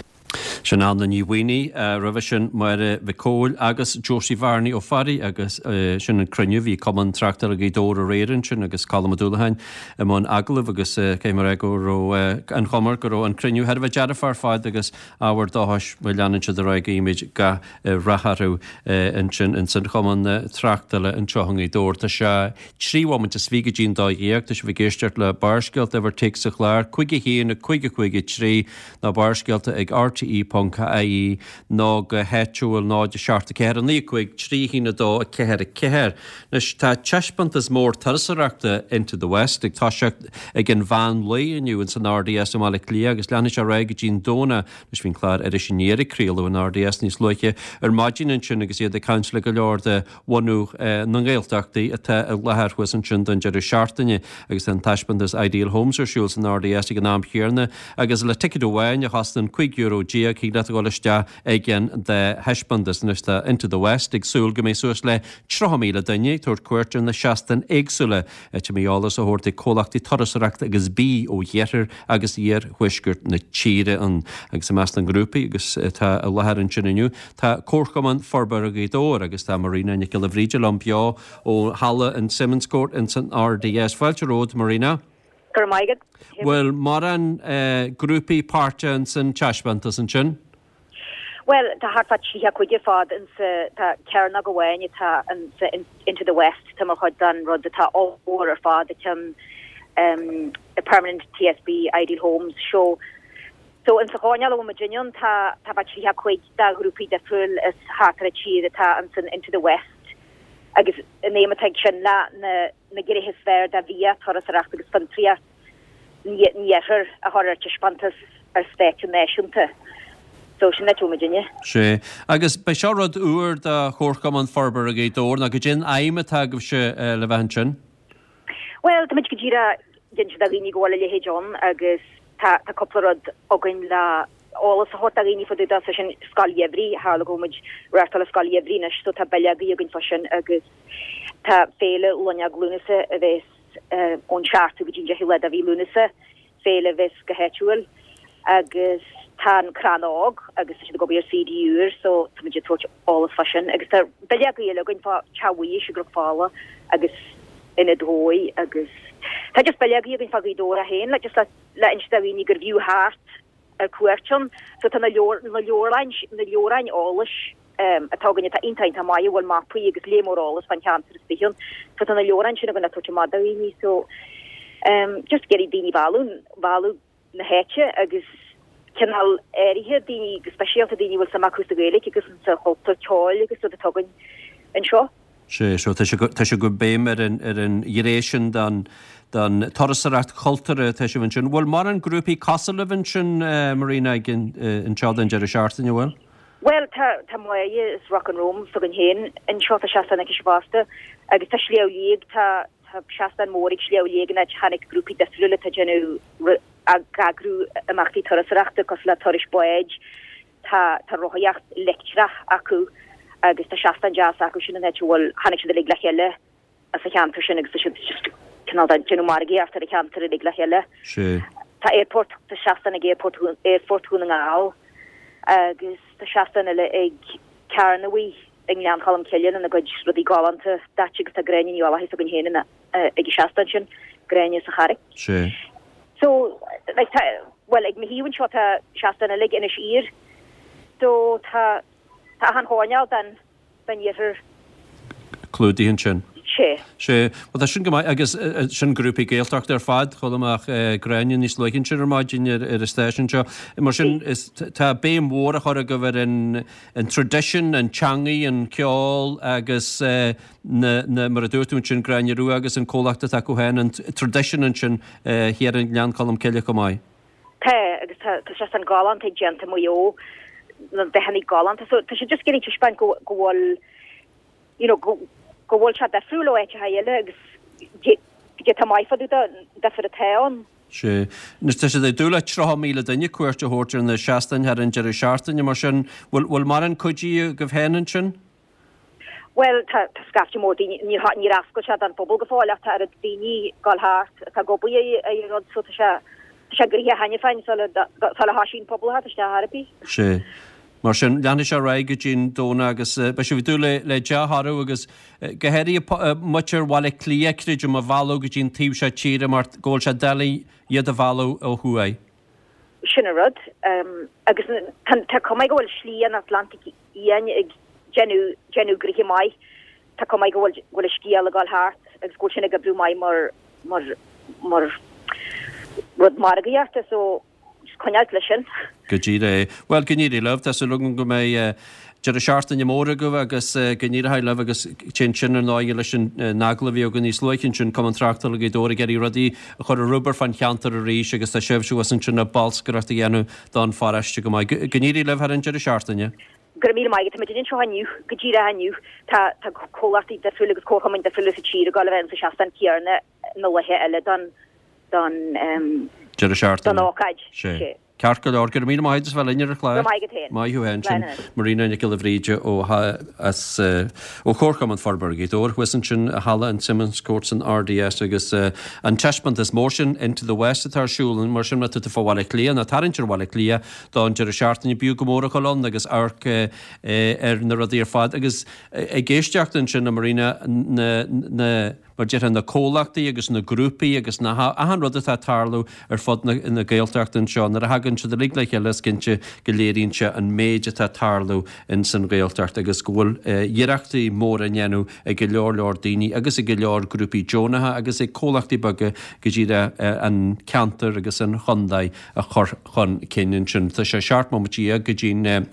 Sin Anna Ní Mhaonaigh, roimhe sin Máire Mhic Cóil agus Josie Bhearnaí Ó Fearraigh agus sin an cruinniú, bhí Cumann Tráchtála Ghaoth Dobhair aréir ansin agus Colm Ó Dúlacháin i mbun agallaimh agus caithfidh mé a rá go raibh an chuma go raibh an cruinniú thar a bheith dearfach ar fad agus ábhar dóchais má leanann siad ar aghaidh guímid gach rath orthu ansin ins an Chumann Tráchtála anseo i nGaoth Dobhair. Tá sé trí bhomaite is fiche go dtí an dó dhéag. Tá sibh ag éisteacht le Barrscéalta, uimhir téacs an chláir, cúig a haon, cúig a cúig a trí, nó Barrscéalta ag rte ponc ie nó go háitiúil náid a seacht a ceathair a naoi a cúig trí a haon a dó a ceathair a ceathair. Anois tá taispeántas mór turasóireachta Into the West ag toiseacht ag an mheán lae inniu ins an R D S i mBaile Átha Cliath agus leanfaidh sé ar aghaidh go dtí an Domhnach. Anois bhí an clár Iris Aniar ag craoladh in R D S níos luaithe ar maidin ansin agus iad ag caint le go leor de bhunú na nGaeltachtaí atá i láthair thuas ansin don deireadh seachtaine agus tá an taispeántas Ideal Homes ar siúl san R D S ag an am chéanna agus le ticéad amháin a chosnaíonn cúig euro déag thig leat a dhul isteach ag an dá thaispeántas. Anois tá Into the West ag súil go mbeidh suas le tríocha míle duine ag tabhairt cuairt ar na seastáin éagsúla áit a mbeidh eolas á thabhairt ag comhlachtaí turasóireachta agus bídh ó iarthar agus iarthuaisceart na tíre ann. Agus i measc na ngrúpaí agus atá i láthair ansin inniu tá Comharchumann Forbartha Ghaoth Dobhair agus tá Marina Nic Giolla Bhríde liom beo ó halla an Simmonscourt ins an R D S. Fáilte romhat, Marina. Go raibh maith agat. Bhfuil mórán grúpaí páirteach ins an taispeántas ansin? Bhuel, tá thart fá tríocha cúig ar fad insa, tá cearnóg amháin atá insa Into the West, tá mar chuid den rud atá ollmhór ar fad, an ceann Permanent T S B Ideal Homes Show. So insa choirnéal a bhfuil muid inniu ann, tá tá fá tríocha cúig de ghrúpaí difriúil is thart ar an tír atá insan Into the West agus an aidhm atá ag sin le na na gnéithe is fearr de bhia, turasóireacht agus fiontraíocht an iarthair a chur ar taispeántas ar stáitse náisiúnta. So sin é muidinne. Sea. Agus beidh seo rud úr do Chomharchumann Forbartha Ghaoth Dobhair, nó goidé an aidhm atá agaibhse le bheith ansin? Bhuel, táimid go díreach ag inse do dhaoine go bhfuil a leithéid ann agus tá tá cúpla rud againn le eolas a thabhairt do dhaoine fá dtaobh de, sé sin Scoil Gheimhridh, tharla go bhfuil muid reáchtáil Scoil Gheimhridh anois so tá bileogaí againn fá sin agus tá Féile Loinneog Lúnasa a bheas ón seachtú go dtí an deichiú lá de mhí Lúnasa, féile a bheas go háitiúil agus tá an Crann Óg agus tá siad ag obair ar C D úr so tá muid ag tabhairt eolas fá sin agus tá bileogaí eile againn fá Teach Bhuighis i gCnoc Fola agus Ionad Dhóigh agus tá just bileogaí againn fá Ghaoth Dobhair é féin le just le le inse do dhaoine gur bhfiú theacht ar cuairt ann. So tá na leabhar na leabhráin na leabhráin eolais atá againn atá iontach iontach maith a bhfuil mapaí agus léar mór eolas fán cheantar is fiche ann. So tá na leabhráin sin againn le tabhairt amach do dhaoine so just ag iarraidh daoine a mhealladh mhealladh na háite agus cineál áirithe daoine go speisialta daoine a bhfuil suim acu sa Ghaeilge agus sa chultúr ceoil agus rud atá againn anseo. Sea, so tá sé tá sé go béim ar an ar an ghné sin den den turasóireacht chultúrtha atá sibh ansin. Bhfuil mórán grúpaí cosúil libh ansin, Marina, ag anseo don deireadh seachtaine, bhfuil? Bhuel, tá tá Máire is Rock and Roam s'againn féin anseo, tá seastán aici fosta agus tá Sliabh Liag, tá tá seastán mór ag Sliabh Liag in áit tháinig grúpaí difriúla atá ag déanamh ag eagrú imeachtaí turasóireachta cosúil le turais báid, tá tá rothaíocht leictreach acu agus tá seastán deas acu sin in áit a bhfuil tháinig siad uilig le chéile as an cheantar sin agus tá siad just cineál de déanamh margaíocht ar an cheantar uilig le chéile. Sea. Tá airport, tá seastán ag airport Aerfort Dhún na nGall agus tá seastán eile ag Carnabhaí i nGleann Cholm Cille lena gcuid rudaí galánta daite agus tá Gráinne Ní Uallacháin s'againn féin ina ag an seastán sin, Gráinne sa Charraic. Sea. So, like tá, bhuel ag mo thaobh anseo tá seastán eile ag Inis Oírr. So tá, tá achan choirnéal den, den iarthar. Clúdaithe ansin. Sea. Sea. Bhuel tá sin go maith agus sin grúpaí Gaeltachta ar fad, chuala mé ach Gráinne níos luaithe ansin ar maidin ar ar an stáisiún seo. Mar sin is tá béim mhór á chur agaibh ar an an tradition, an teangaidh, an ceol agus na na mar a dúirt tú ansin Gráinne Rua agus an comhlacht atá acu féin, an tradition ansin thiar i nGleann Cholm Cille chomh maith. Tá agus tá tá seastán galánta déanta i Maigh Eo, na dathanna galánta so tá sé just ag iarraidh taispeáint go go bhfuil you know go go bhfuil sé difriúil ó áiteacha eile agus goidé atá maith fá dtaobh den difear atá ann. Sea. Anois tá siad ag dúil le tríocha míle duine cuairt a thabhairt ar na seastáin thar an deireadh seachtaine, mar sin bhfuil bhfuil mórán cuidithe agaibh féin ansin? Bhuel tá tá scaifte mór daoine, níor níor oscail sé don phobal go fóill ach tá oiread daoine ag dul thart atá ag obair ar an rud so tá sé sé gnoitheach cheana féin sula sula thosaíonn pobal a theacht isteach ar bith. Sé. Mar sin, leanfaidh sé ar aghaidh go dtí an Domhnach agus beidh sibh ag dúil le le dea-thoradh agus go háirithe muintir Bhaile Átha Cliath, creidim, a mhealladh go dtí an taobh seo tíre mar go bhfuil sé doiligh iad a mhealladh ó thuaidh. Sin an rud. Agus tá cuma go bhfuil Slí an Atlantaigh Fhiáin ag déanamh déanamh gnoithe maith. Tá cuma go bhfuil go bhfuil an scéal ag dul thart agus go bhfuil sin ag oibriú maith mar mar mar rud margaíochta so just coinneáilt leis sin. Go díreach é. Bhuel, go n-éirí libh. Tá súil agam go mbeidh deireadh seachtaine mór agaibh agus go n-éireoidh libh agus téann sin ar ndóigh leis an agallamh a bhí againn níos luaithe ansin, Cumann Tráchtála Ghaoth Dobhair ag iarraidh rudaí a chur ar obair fán cheantar arís agus tá sibhse thuas ansin ag bolscaireacht a dhéanamh don pharóiste go maith. Go n-éirí libh thar an deireadh seachtaine. Go raibh míle maith agat. Tá muid anseo inniu, go díreach inniu. Tá tá comhlachtaí difriúla agus comharchumainn difriúla sa tír ag dul a bheith insa seastán céanna na laetha eile don don Deireadh seachtaine. don ócáid. Sé. Ceart go leor. Go raibh míle maith agat as bheith linn ar an chlár. Go raibh maith agat féin. Maith thú féin. Sin Marina Nic Giolla Bhríde ó as ó Chomharchumann Forbartha Ghaoth Dobhair thuas ansin i Halla an Simmonscourt san RDS agus an taispeántas mór sin Into the West atá ar siúl mar sin má tá tú fá Bhaile Átha Cliath nó tarraingt ar Bhaile Átha Cliath don deireadh seachtaine b'fhiú go mór a dhul ann agus amharc ar na rudaí ar fad agus ag éisteacht ansin le Marina na na mar déarfá na comhlachtaí agus na grúpaí agus na achan rud atá ag tarlú ar fud na na Gaeltachta anseo, nuair a thagann siad uilig le chéile is cinnte go léiríonn sé an méid atá ag tarlú ins an Ghaeltacht agus go bhfuil iarrachtaí móra á ndéanamh ag go leor leor daoine agus ag go leor grúpaí deonacha agus ag comhlachtaí beaga go díreach an ceantar agus an chontae a chur chun cinn ansin. Tá sé seacht mbomaite dhéag go dtí'n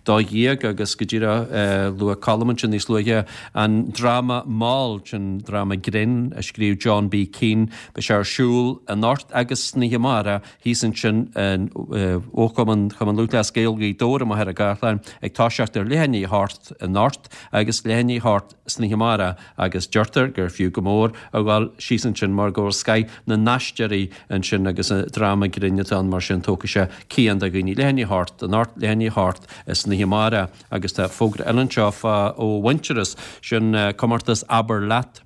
dó dhéag agus go díreach luaigh Colm ansin níos luaithe an dráma Mall, sin dráma grinn a scríobh John B. Keane. Beidh sé ar siúl anocht agus san oíche amárach thíos ansin in ó Chumann Chumann Lúthchleas Gael Ghaoth Dobhair i Machaire Gathlán ag toiseacht ar leath i ndiaidh a hocht anocht agus leath i ndiaidh a hocht san oíche amárach agus deirtear gur fiú go mór a dhul síos ansin mar go bhfuil scoith na n-aisteoirí ansin agus dráma grinn atá ann mar sin tógfaidh sé cian do dhaoine. Leath i ndiaidh a hocht anocht, leath i ndiaidh a hocht san oíche amárach agus tá fógra eile anseo fá ó Mhuintearas, sin comórtas Abair Leat.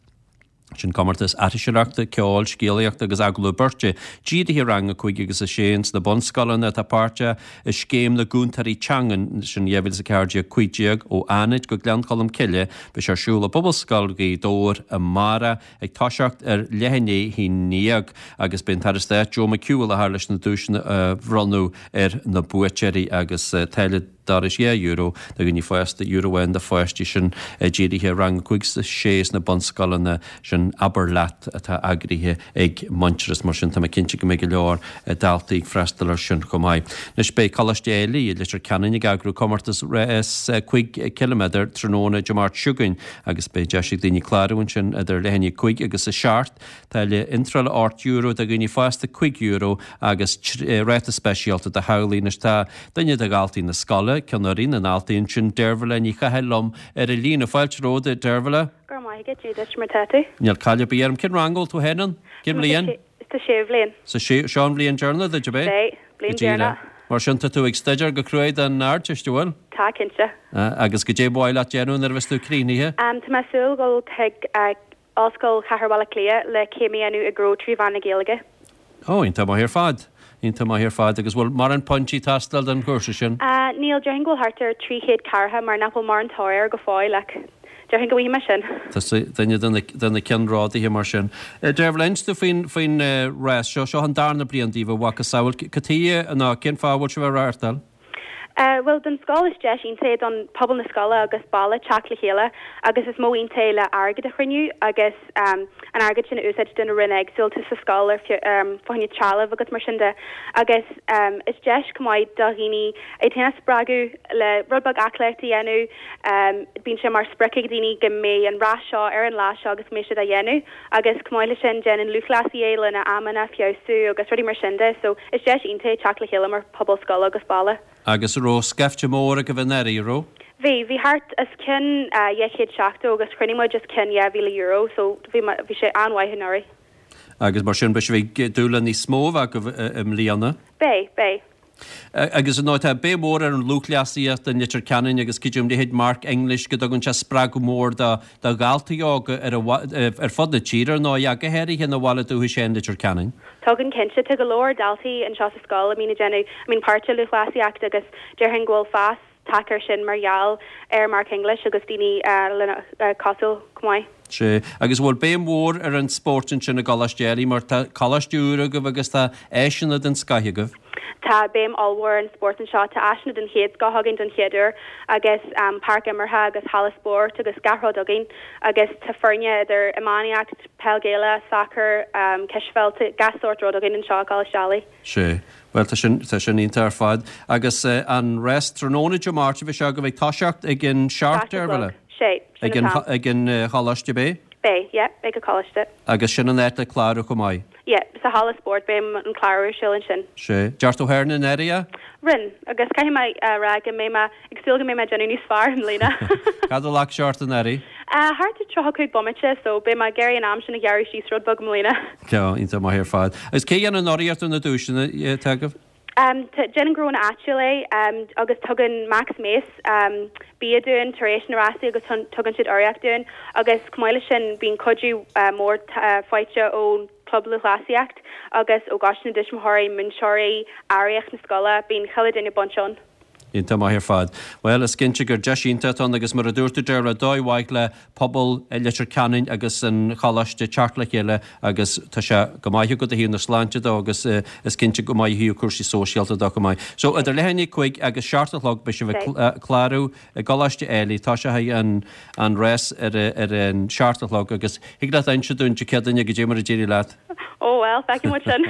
Sin comórtas aithriseoireachta, ceoil, scéalaíochta agus agallamh beirte, dírithe ar rang a cúig agus a sé ins na bunscoileanna atá páirteach i Scéim na gCúntóirí Teangan, sin dhá mhíle is a ceathair déag cúig déag, ó Fhánaid go Gleann Cholm Cille. Beidh sé ar siúl i bPobalscoil Ghaoth Dobhair amárach ag toiseacht ar leath i ndiaidh a haon déag agus beidh an tAire Stáit Joe McHugh i láthair leis na duaiseanna a bhronnadh ar na buaiteoirí agus táille dorais dhá euro do dhaoine fásta, euro amháin do pháistí sin dírithe ar rang a cúig is a sé sna bunscoileanna sin Abair Leat atá eagraithe ag Muintearas. Mar sin tá mé cinnte go mbeidh go leor daltaí ag freastal air sin chomh maith. Anois beidh Coláiste Éilí i Leitir Ceanainn ag eagrú comórtas rás cúig ciliméadar tráthnóna Dé Máirt seo chugainn agus beidh deis ag daoine clárú ansin idir leath i ndiaidh a cúig agus a seacht. Táille iontrála ocht euro do dhaoine fásta, cúig euro agus ráta speisialta do theaghlaigh. Anois tá duine de dhaltaí na scoile, ceann fhoireann na ndaltaí ansin, Deirbhile Ní Chathail liom ar an líne. Fáilte romhat, a Deirbhile. Go raibh maith agat, Dia duit, mar tá tú? Níl caill ar bith orm. Cén rang a bhfuil tú féin ann? Cén bhliain? Sa séú bhliain. Sa séú, seo an bhliain deireanach duit, ab é? Sea, bliain deireanach. Mar sin tá tú ag staidéar go cruaidh don Ardteist, an bhfuil? Tá, cinnte. Agus goidé ba mhaith leat déanamh nuair a bheas tú críochnaithe? Tá mé ag súil dhul chuig Ollscoil Chathair Bhaile Átha Cliath le céim a dhéanamh i ngnó trí mheán na Gaeilge. Ó, iontach maith ar fad. Iontach maith ar fad. Agus bhfuil mórán pointí ag teastáil don chúrsa sin? Níl, déarfainn go bhfuil thart ar trí chéad ceathracha mar nach bhfuil mórán tóir air go fóill ach déarfainn go bhfaighidh mé sin. Tá duine de na ceannródaithe mar sin. Deirbhile, inis domh faoin faoin rás seo. Seo an darna bliain daoibh a mhacasamhail. Cad chuige nó cén fáth a bhfuil sibh á reáchtáil? Bhuel, don scoil is deis iontach é don pobal na scoile agus baile teacht le chéile agus is modh iontach é le airgead a chruinniú agus an airgead sin a úsáid do na roinn éagsúla sa scoil ar fá choinne trealamh agus mar sin de agus is deis chomh maith do dhaoine iad féin a spreagadh le rud beag aclaíocht a dhéanamh. Bíonn sé mar sprioc ag daoine go mbeidh an rás seo ar an lá seo agus go mbeidh siad á dhéanamh agus chomh maith le sin déanann lúthchleasaithe é lena amanna a feabhsú agus rudaí mar sin de so is deis iontach é teacht le chéile mar pobal scoile agus baile. Agus an raibh scaifte mór agaibh anuraidh, an raibh? Bhí, bhí thart os cionn dhá chéad seachtó agus chruinnigh muid os cionn dhá mhíle euro so bhí, bhí sé an-mhaith anuraidh. Agus mar sin beidh sibh ag dúil le níos mó a bheith agaibh i mbliana? Beidh, beidh. Agus ar ndóigh tá béim mhór ar an lúthchleasaíocht i Leitir Ceanainn agus creidim leithéid Mark English go dtugann sé spreagadh mór do do dhaltaí óga ar ar fud na tíre ar ndóigh ach go háirithe ina bhaile dúchais féin Leitir Ceanainn. Tugann cinnte, tá go leor daltaí anseo sa scoil a mbíonn ag déanamh, a mbíonn páirt i lúthchleasaíocht agus déarfainn go bhfuil fás tagtha air sin mar gheall ar Mark English agus daoine lena cosúil chomh maith. Sea, agus an bhfuil béim mhór ar an spórt ansin i gColáiste Ailigh mar tá coláiste úr agaibh agus tá áiseanna den scoth agaibh? Tá béim ollmhór ar an spórt anseo. Tá áiseanna den chéad scoth againn don chéad uair agus páirc imeartha agus halla spóirt agus gach rud againn agus tá foirne idir iománaíocht, peil Gaelach, sacar, cispheil, tá gach sórt rud againn anseo i gColáiste Ailigh. Sea. Bhuel, tá sin, tá sin iontach ar fad. Agus an rás tráthnóna Dé Máirt a bheidh sé agaibh ag toiseacht ag an seacht, Seacht a ar chlog. bhfuil? Sé, sin Ag an an, t-am. ag an choláiste, beidh? Beidh, yeah, ag an choláiste. Agus sin an áit le clárú chomh maith? Yeah, sa halla spóirt, beidh an clárú ar siúl ansin. Sé. Ndearna tú féin anuraidh? Rinne, agus caithfidh mé a rá go mbeidh mé ag súil go mbeidh mé ag déanamh níos fearr i mbliana. Cad a ghlac sé ort anuraidh? Thart ar tríocha cúig bomaite, so beidh mé ag iarraidh an am sin a ghearradh síos rud beag i mbliana. Ceá, iontach maith ar fad. Agus cé a dhéanann urraíocht ar na duaiseanna atá agaibh? Déanann gnónna áitiúil é agus tugann Max Mace bia dúinn tar éis na rásaí agus tugann siad urraíocht dúinn agus chomh maith leis sin bíonn cuidiú mór faighte ón Club Lúthchleasaíocht agus ó Choiste na dTuismitheoirí, múinteoirí, aireacht na scoile, bíonn chuile duine bainte ann. Iontach maith ar fad. Bhuel, is cinnte gur deis iontach atá ann agus mar a dúirt tú Dervla, dóigh mhaith le pobal Leitir Ceanainn agus an Choláiste teacht le chéile agus tá sé go maith agat ó thaobh na sláinte dó agus is cinnte go maith ó thaobh cúrsaí sóisialta dó chomh maith. So, idir leath i ndiaidh a cúig agus seacht a chlog beidh sibh ag clárú i gColáiste Ailigh. Toiseoidh an an rás ar ar an seacht a chlog agus thig leat inse dúinn Dé Céadaoine goidé mar a d'éirigh leat. Ó bhuel, feicfidh muid sin.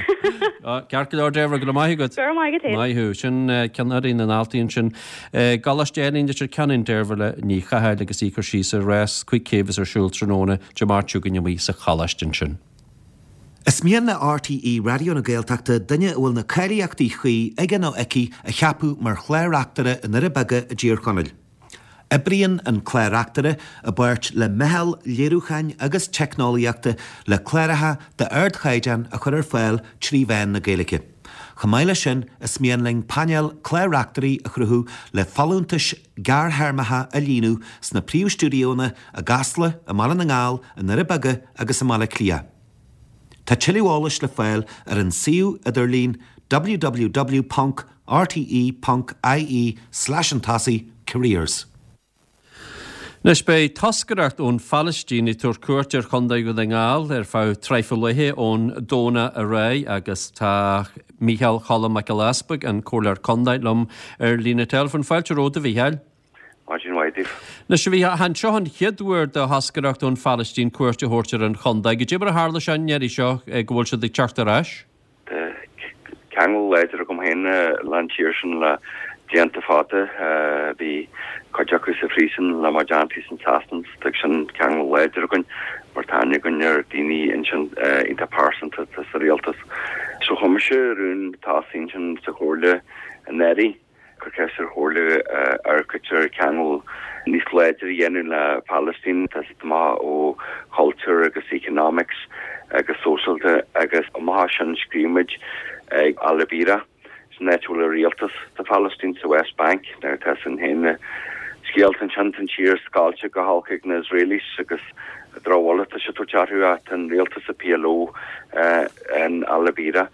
Ceart go leor Dervla, go raibh maith agat. Go raibh maith agat féin. Maith thú. Sin ceannairí na ndaltaí ansin. I gColáiste Ailigh i Leitir Ceanainn, Deirbhile Ní Chathail agus í ag cur síos ar rás cúig chéim a bheas ar siúl tráthnóna Dé Máirt seo chugainn amuigh sa choláiste ansin. Is mian le RTÉ Raidió na Gaeltachta duine a bhfuil na cáilíochtaí cuí aige nó aici a cheapadh mar chlár-reachtaire i nDoire Beaga i dTír Chonaill. Oibríonn an Clár-Reachtaire i bpáirt le meitheal léiriúcháin agus teicneolaíochta le cláracha d'ardchaighdeán a chur ar fáil trí mheán na Gaeilge. Chomh maith leis sin, is mian linn painéal clár-reachtairí a chruthú le folúntais ghearrthéarmacha a líonadh sna príomhstiúidéonna i gCasla, i mBaile na nGall, i nDoire Beaga agus i mBaile Átha Cliath. Tá tuilleadh eolais le fáil ar an suíomh idirlín www ponc rte ponc ie slash an tosaigh careers. Anois beidh toscaireacht ón Phalaistín ag tabhairt cuairt ar Chontae Dhún na nGall ar feadh traidhfil laethe ón Domhnach ar aghaidh agus tá Mícheál Cholm Mac Giolla Easbuig, an Comhairleoir Contae, liom ar líne teileafóin. Fáilte romhat, a Mhícheáil. Maidin mhaith daoibh. Anois, a Mhícheáil, chan seo an chéad uair do thoscaireacht ón Phalaistín cuairt a thabhairt ar an chontae. Goidé mar a tharla sé an iarraidh seo go bhfuil siad ag teacht ar ais? Tá ceangal láidir agam féin le an tír sin le blianta fada. Bhí cuid acu sa phríosún le mo dteannta in Sasana so tá sin ceangal láidir againn mar tá aithne againn ar daoine ansin iontach pearsanta atá sa rialtas. So chuir mise rún tosaigh ansin sa chomhairle anuraidh. Cur ceist ar Chomhairle amharc ar ceangal níos láidre a dhéanamh le Palestine, tá siad amach ó chultúr agus economics agus sóisialta agus amach as sin scríobh muid ag Al-Bireh, sin áit a bhfuil an rialtas sa Phalaistín sa West Bank. Now tá sin féin na scéalta ansin, tá an tír scoilte go holc ag na Israelis agus drochbhuille atá siad ag tabhairt orthu ach tá an rialtas sa PLO in Al-Bireh.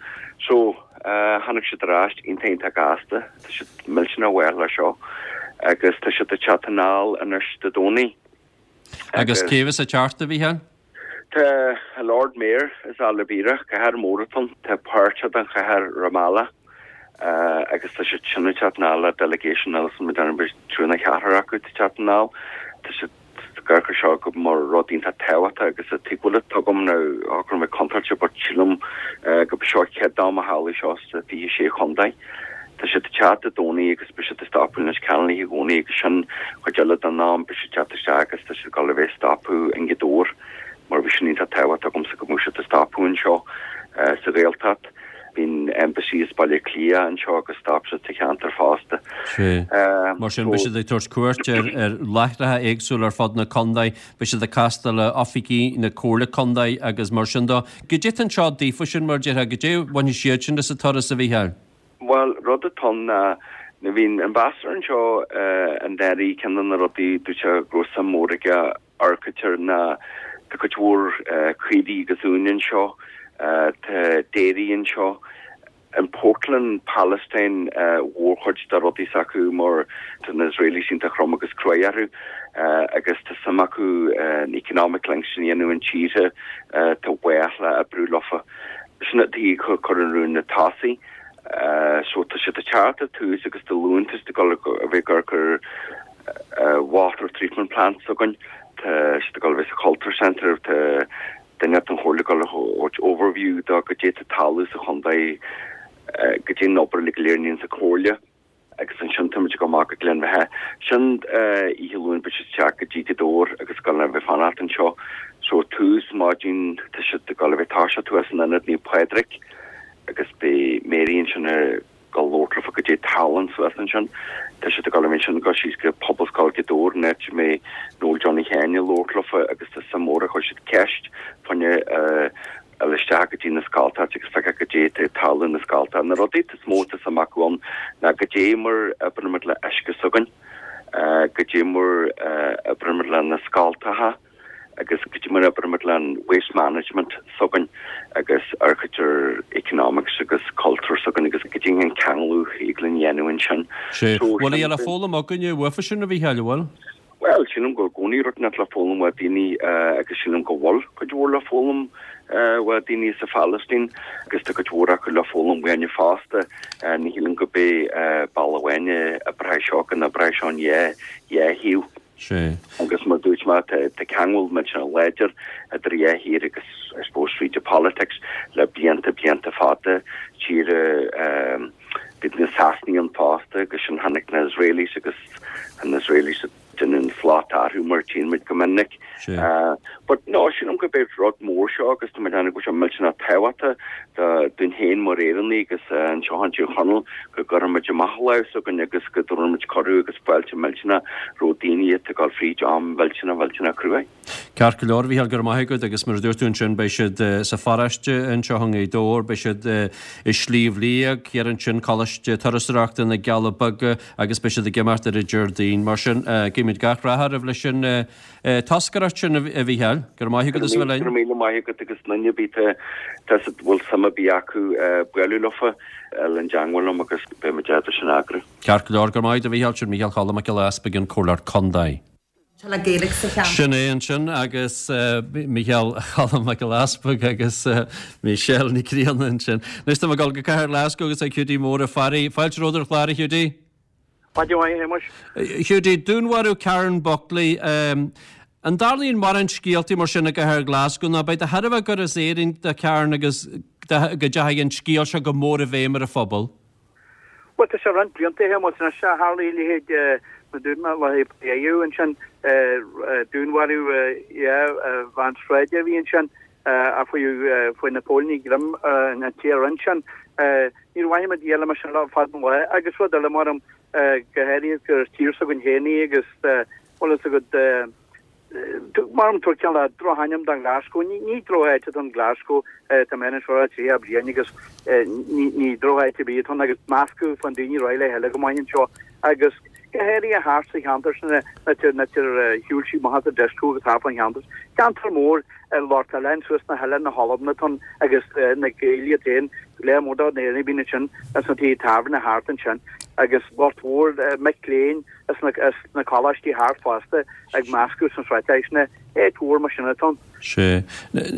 So. Tháinig siad ar ais iontach iontach gasta. Tá siad millteanach mhaith le seo agus tá siad ag teacht anall anois Dé Domhnaigh. Agus cé bheas ag teacht, a Mhícheáil? Tá an Lord Mayor as Al-Bireh, cathair mhór atá ann. Tá páirt den chathair Ramallah agus tá siad sin ag teacht anall le delegation eile san b'fhéidir triúr nó ceathrar acu ag teacht anall. Tá siad ag amharc ar seo go mar rud iontach tábhachtach agus an tuigbheáil atá agam nó go raibh mé contráilte but sílim go b'é seo an chéad am a tharla seo sa fiche sé chontae. Tá siad ag teacht Dé Domhnaigh agus beidh siad ag stopadh i Leitir Ceanainn oíche Dhomhnaigh agus sin chuid eile den am beidh siad ag teacht isteach agus tá siad ag dul a bheith ag stopadh i nGaoth Dobhair mar bhí sin iontach tábhachtach agamsa go mbeadh siad ag stopadh anseo sa Ghaeltacht. Bhí an embassy as Baile Átha Cliath anseo agus stop siad sa cheantar fosta. Sea. Mar sin, beidh siad ag tabhairt cuairt ar ar láithreacha éagsúla ar fud na contae, beidh siad ag castáil le oifigigh na Comhairle Contae agus mar sin dó. Goidé atá anseo daofa sin, mar a déarfá, goidé a bhainfidh siad sin as an turas, a Mhícheáil? Bhuel, rud atá ann ná nuair a bhí an ambassador anseo anuraidh, ceann de na rudaí dúirt sé go raibh suim mhór aige architecture ná tá cuid mhór caoirigh agus uain anseo, tá dairy anseo. An Portland Palestine mhórchuid de rudaí s'acu mar tá na Israelis iontach trom agus cruaidh orthu agus tá suim acu an economic links sin a dhéanamh an tíortha tá bhfách le oibriú leofa. Sin an tuige a cur an rún na tosaigh. So tá siad ag teacht ar tús agus Dé Luain tá siad ag dul a bheith ag cur water treatment plant s'againn. Tá siad ag dul a bheith sa Culture Centre, tá duine den chomhairle ag dul a thabhairt overview do goidé tá ag tarlú sa chontae, goidé an obair uilig go léir a ndéananns an comhairle agus ansin táimid ag dul amach go Gleann Bheatha. Sin oíche Luain beidh siad ag teacht go dtí Gaoth Dobhair agus ag dul a bheith fanacht anseo. So tús maidin tá siad ag dul a bheith toiseacht thuas in Ionad Naomh Pádraig agus beidh Mary ansin ag dul labhairt leofa goidé tá ag tarlú suas ansin. Tá siad ag dul a bheith ansin ag dul síos go Pobalscoil Ghaoth Dobhair an áit a mbeidh Noel Johnny Sheáin ag labhairt leofa agus tá suim mhór chuir siad ceist fá choinne dul isteach go dtí na scoltacha agus feiceáil goidé tá ag tarlú na scoltacha. Na rudaí is mó atá suim acu ann ná goidé mar oibrímid le uisce s'againn, goidé mar oibrímid le na scoltacha agus goidé mar oibrímid le an waste management s'againn agus architecture, economics agus culture s'againn agus goidé an ceangal a thig linn a dhéanamh ansin. Sea. Bhfuil a le foghlaim againne uafa sin a Mhícheáil, an bhfuil? Bhuel, sílim go bhfuil i gcónaí rud inteacht le foghlaim ó daoine agus sílim go bhfuil cuid mhór le foghlaim ó daoine sa Phalaistín agus tá cuid mhór acu le foghlaim uainne fosta. Ní shílim go b'é bealach amháin a oibreoidh seo, go n-oibreoidh seo an dhá dhá thaobh. Sea. Agus mar dúirt mé, tá tá ceangal millteanach láidir idir dhá thír agus I suppose tríd an politics le blianta blianta fada tíre bhí na Sasanaigh ann fosta agus sin tháinig na Israelis agus na Israelis déanamh an slot orthu mar tchíonn muid go minic. But no, sílim go b'é rud mór seo agus tá mé ag déanamh go bhfuil sé millteanach tábhachtach dúinn féin mar Éireannaigh agus anseo in Tír Chonaill go gcuirfidh muid amach an lámh s'againn agus go dtabharfaidh muid cuireadh agus fáilte millteanach roimh daoine atá ag dul fríd am mhillteanach mhillteanach cruaidh. Ceart go leor, a Mhícheáil, go raibh maith agat agus mar a dúirt tú ansin beidh siad sa pharóiste anseo i nGaoth Dobhair, beidh siad i Sliabh Liag, thiar ansin, Coláiste Turasóireachta na gCealla Beaga agus beidh siad ag imeacht ar an Déardaoin. Mar sin, guímid gach rath oraibh leis an toscaireacht sin, a Mhícheáil. Go raibh maith agat as a bheith linn. Go raibh míle maith agat agus duine ar bith tá a bhfuil suim ar bith acu bualadh leofa le i dteangmháil liom agus beidh muid ábalta sin a eagrú. Ceart go leor, go raibh maith agat, a Mhícheáil. Sin Mícheál Choilm Mac Giolla Easpaig, an Comhairleoir Contae. Tá le Gaeilge sa cheantar. Sin é ansin agus Mícheál Choilm Mac Giolla Easpaig agus Michelle Nic Grianna ansin. Anois tá mé ag dul go Cathair Glasgow agus ag Hiúdaí Mór Ó Fearraigh. Fáilte romhat ar an chlár, a Hiúdaí. Maidin mhaith, a Shéamais. Hiúdaí, dúnmharú Karen Buckley. An dtarlaíonn mórán scéaltaí mar sin i gCathair Glasgow nó ab é do thairbhe gur as Éirinn do Karen agus go dteachaigh an scéal seo go mór i bhfeidhm ar an phobal? Bhuel, tá sé roinnt blianta, a Shéamais, anois a tharlaigh a leithéid, mar dúirt mé, le hAodh ansin, dúnmharú dhá bhean sráide a bhí ansin a fuair na póilíní greim ar an té a rinne sin. Níor mhaith muid a dhéanamh mar sin le fada an lá agus rud eile mar go háirithe gur tír s'againn féin í agus bhfuil fhios agat, Mar an tabhairt cineál drochainm don Glasgow. Ní drocháit atá in Glasgow, tá mé anseo le tríocha bliain agus ní drocháit ar bith atá ann agus meascadh fán daoine réidh le chéile go maith anseo agus go háirithe thart sa cheantar sin na tir shiúil sí amach as an disco agus thart fán cheantar. Ceantar mór lucht oileáin suas na hoileáin na hAlban atá ann agus na Gaeil iad féin, lear mór de na hÉireannaigh bíonn ansin as na tithe tábhairne thart ansin agus lucht mhór mic léinn as na coláistí thart fosta ag meascadh san sráid sin áit mhór mar sin atá ann. Sea.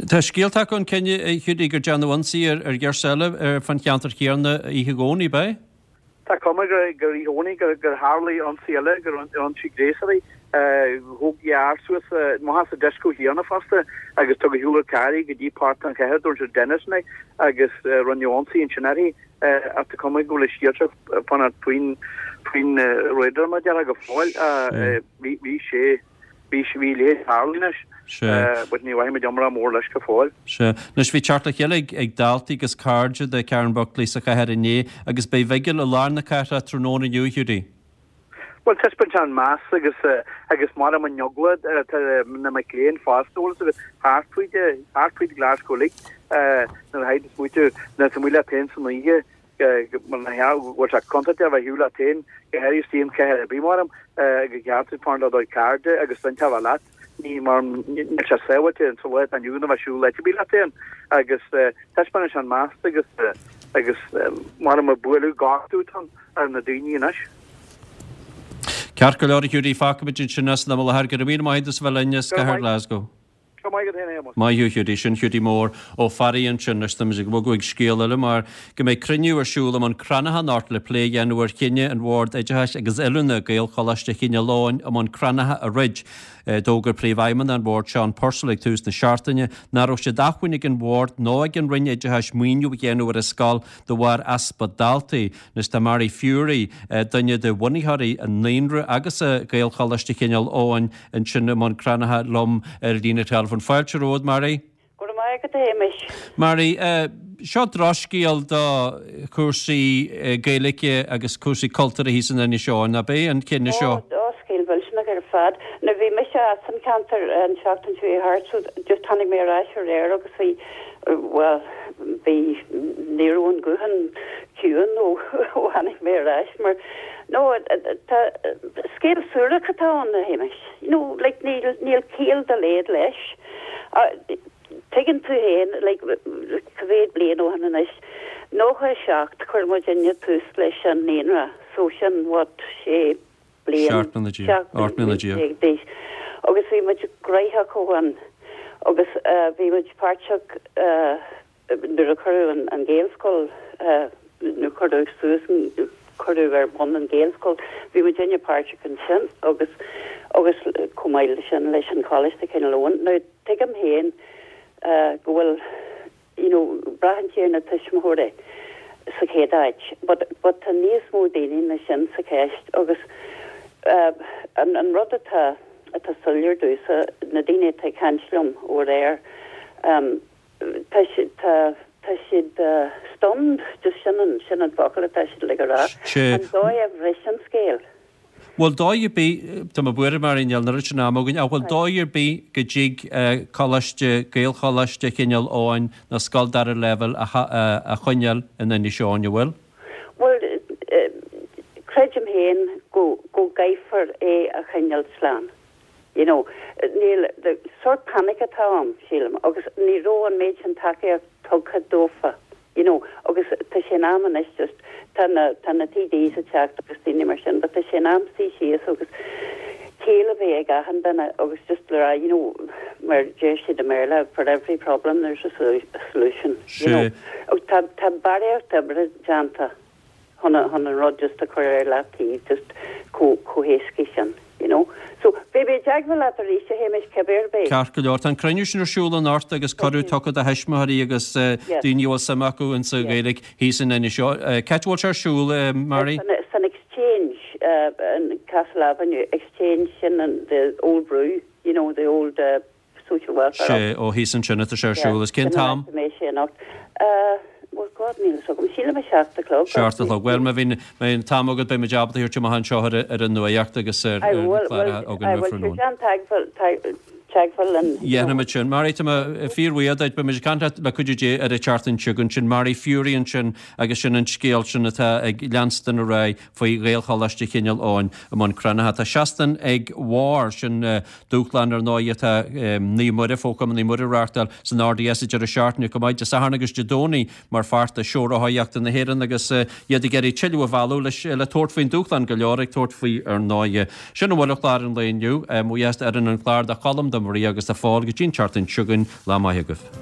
Tá scéalta acu ann, a Hiúdaí, gur déanadh ionsaí ar ghirseach eile fán cheantar chéanna oíche Dhomhnaigh, ab ea? Tá cuma gur oíche Dhomhnaigh gur tharlaigh ionsaí eile, gur ionsaí gréasach í. Thóg fear suas amach as an disco chéanna fosta agus tugadh ar shiúl ar carr í go dtí páirc an chathair, dúirt siad Denison é, agus rinneadh ionsaí ansin uirthi. Ach tá cuma go bhfuil an scéal seo fanacht faoin faoin radar mar a déarfá go fóill. Bhí bhí sé bhí bhí a leithéid tarlaithe anois. Sea. But ní bhfaighimid iomrá mór leis go fóill. Sea. Anois bhí teacht le chéile ag ag daltaí agus cairde de Karen Buckley sa chathair inné agus beidh bigil i lár na cathrach tráthnóna inniu, a Hiúdaí. Bhuel, taispeáint an meas agus agus mar an eagla atá na mic léinn fosta, bhfuil fhios agat, thart faoi thart faoi Glasgow uilig nuair a théid tú smaoitiú nuair atá amuigh leat féin san oíche Go bhfuil sé contúirteach a bheith ar shiúl leat féin, go háirithe istigh i gcathair ar bith, maram, go gceart duit fanacht le do chairde agus duine a bheith leat. Ní mar níl sé sábháilte sa lá atá inniu ann a bheith ag siúl áit ar bith leat féin agus taispeánann sé an meas agus agus maram a bualadh gortú atá ar na daoine anois. Ceart go leor a Hiúdaí, fágfaimid ansin é san am i láthair. Go raibh míle maith agat as a bheith linn as cathair Glasgow. Go raibh maith agat féin a Shéamais. Maith thú a Hiúdaí. Sin Hiúdaí Mór Ó Fearraigh ansin. Anois táimid ag bogadh ag scéal eile mar go mbeidh cruinniú ar siúl i mBun Cranncha anocht le plé a dhéanamh ar chinneadh an Bhord Oideachais agus Oiliúna Gaelcholáiste Chineál Eoghain i mBun Cranncha a dhruid. D'fhógair Príomhfheidhmeannach an Bhoird Seán Purcell ag tús na seachtaine nach raibh sé d'acmhainn ag an Bhord nó ag an Roinn Oideachais maoiniú a dhéanamh ar an scoil de bharr easpa daltaí. Anois tá Mary Furey, duine de bhunaitheoirí an Naíonra agus Gaelcholáiste Chineál Eoghain ansin i mBun Cranncha liom ar an líne teileafóin. Fáilte romhat, Mary. Go raibh maith agat, a Shéamais. Mary, seo drochscéal do chúrsaí Gaeilge agus cúrsaí cultúrtha thíos in Inis Eoghain, ab é an cinneadh seo? Ó, drochscéal millteanach ar fad. Nuair bhí mise as an cheantar an tseachtain seo chuaigh thart so just tháinig mé ar ais aréir agus bhí, bhuel, bhí, ní raibh an guthán ciúin ó tháinig mé ar ais mar, no, tá, scéal suarach atá ann, a Shéamais. You know, like, níl, níl ciall dá laghad leis. Tuigeann tú féin, like, cá mhéad bliain ó shin anois, nócha a seacht, chuir muidinne tús leis an naíonra, so sin, what, sé bliain, Seacht mbliana déag, ocht mbliana déag. déag d'aois. Agus bhí muid gnóthach ó shin agus bhí muid páirteach nuair a cuireadh an Ghaelscoil, nuair a cuireadh suas an, cuireadh ar bun an Ghaelscoil, bhí muidinne páirteach ansin agus, agus chomh maith leis sin leis an Choláiste Chineál Eoghain. Now tuigim féin go bhfuil, you know, braitheann sé ar na tuismitheoirí sa chéad áit but, but tá níos mó daoine ná sin sa cheist agus an, an rud atá, atá soiléir domhsa, na daoine atá ag caint liom ó aréir, tá siad, tá, tá siad stunned, just sin an, sin an focal atá siad le rá. An dóigh a bhris an scéal. Bhfuil dóigh ar bith, tá mé buartha Mary níl an oiread sin ama againn, ach bhfuil dóigh ar bith go dtig coláiste, Gaelcholáiste Chineál Eoghain nó scoil dara leibhéal a choinneáil in Inis Eoghain, an bhfuil? Bhuel, creidim féin go go gcaithfear é a choinneáil slán. You know, níl, sórt panic atá ann, sílim, agus ní raibh an méid sin tacaíocht tugtha dófa, you know, agus tá sé in am anois just, tá na, tá na TDs ag teacht agus daoine mar sin, but tá sé in am suí síos agus ciall a bheith ag achan duine agus just le rá, you know, mar deir siad i mBéarla, for every problem there's a solution, you know. Agus tá, tá barraíocht oibre déanta. chun chun an rud just a chur ar leataobh just chomh chomh héasca sin, you know. So, beidh mé i dteagmháil leat arís, a Shéamais, cibé ar bith. Ceart go leor. Tá an cruinniú sin ar siúl anocht agus cuireadh tugtha do thuismitheoirí agus daoine a bhfuil suim acu insa Ghaeilge thíos in Inis Eoghain. Cá háit a bhfuil sé ar siúl, Mary? San Exchange, in Castle Avenue, Exchange sin an the old brew, you know, the old Social Welfare Sea, ó thíos ansin atá sé ar siúl. Is cén t-am? Sin an áit a mbeidh sé anocht. Bhuel, God, níl a fhios agam. Sílim a seacht a chlog. Seacht a chlog. Bhuel, má bhíonn an t-am agat, beidh muid ábalta a thabhairt amach anseo ar an nuacht agus ar na cláracha againn roimh tráthnóna. Aye, bhuel, déan teagmháil linn. Dhéanfaimid sin. Mary, tá mé fíorbhuíoch duit. Beidh muid ag caint leat le cuidiú Dé ar an tseachtain seo chugainn. Sin Mary Furey ansin agus sin an scéal sin atá ag leanstan ar aghaidh faoi Ghaelcholáiste Chineál Eoghain i mBun Cranncha. Tá seachtain ag barr, sin dúshlán ar ndóigh atá Naomh Muire, Fo-Chumann Naomh Muire a reáchtáil san RDS an deireadh seachtaine chomh maith, Dé Sathairn agus Dé Domhnaigh mar pháirt de Seó Rothaíochta na hÉireann agus iad ag iarraidh tuilleadh a mhealladh leis le tabhairt faoin dúshlán, go leor ag tabhairt faoi ar ndóigh. Sin a bhfuil ar chlár an lae inniu. Mo bhuíochas d'fhoireann an chláir, do Cholm, do Maria agus do Phól go dtí an tseachtain seo chugainn. Lá maith agaibh.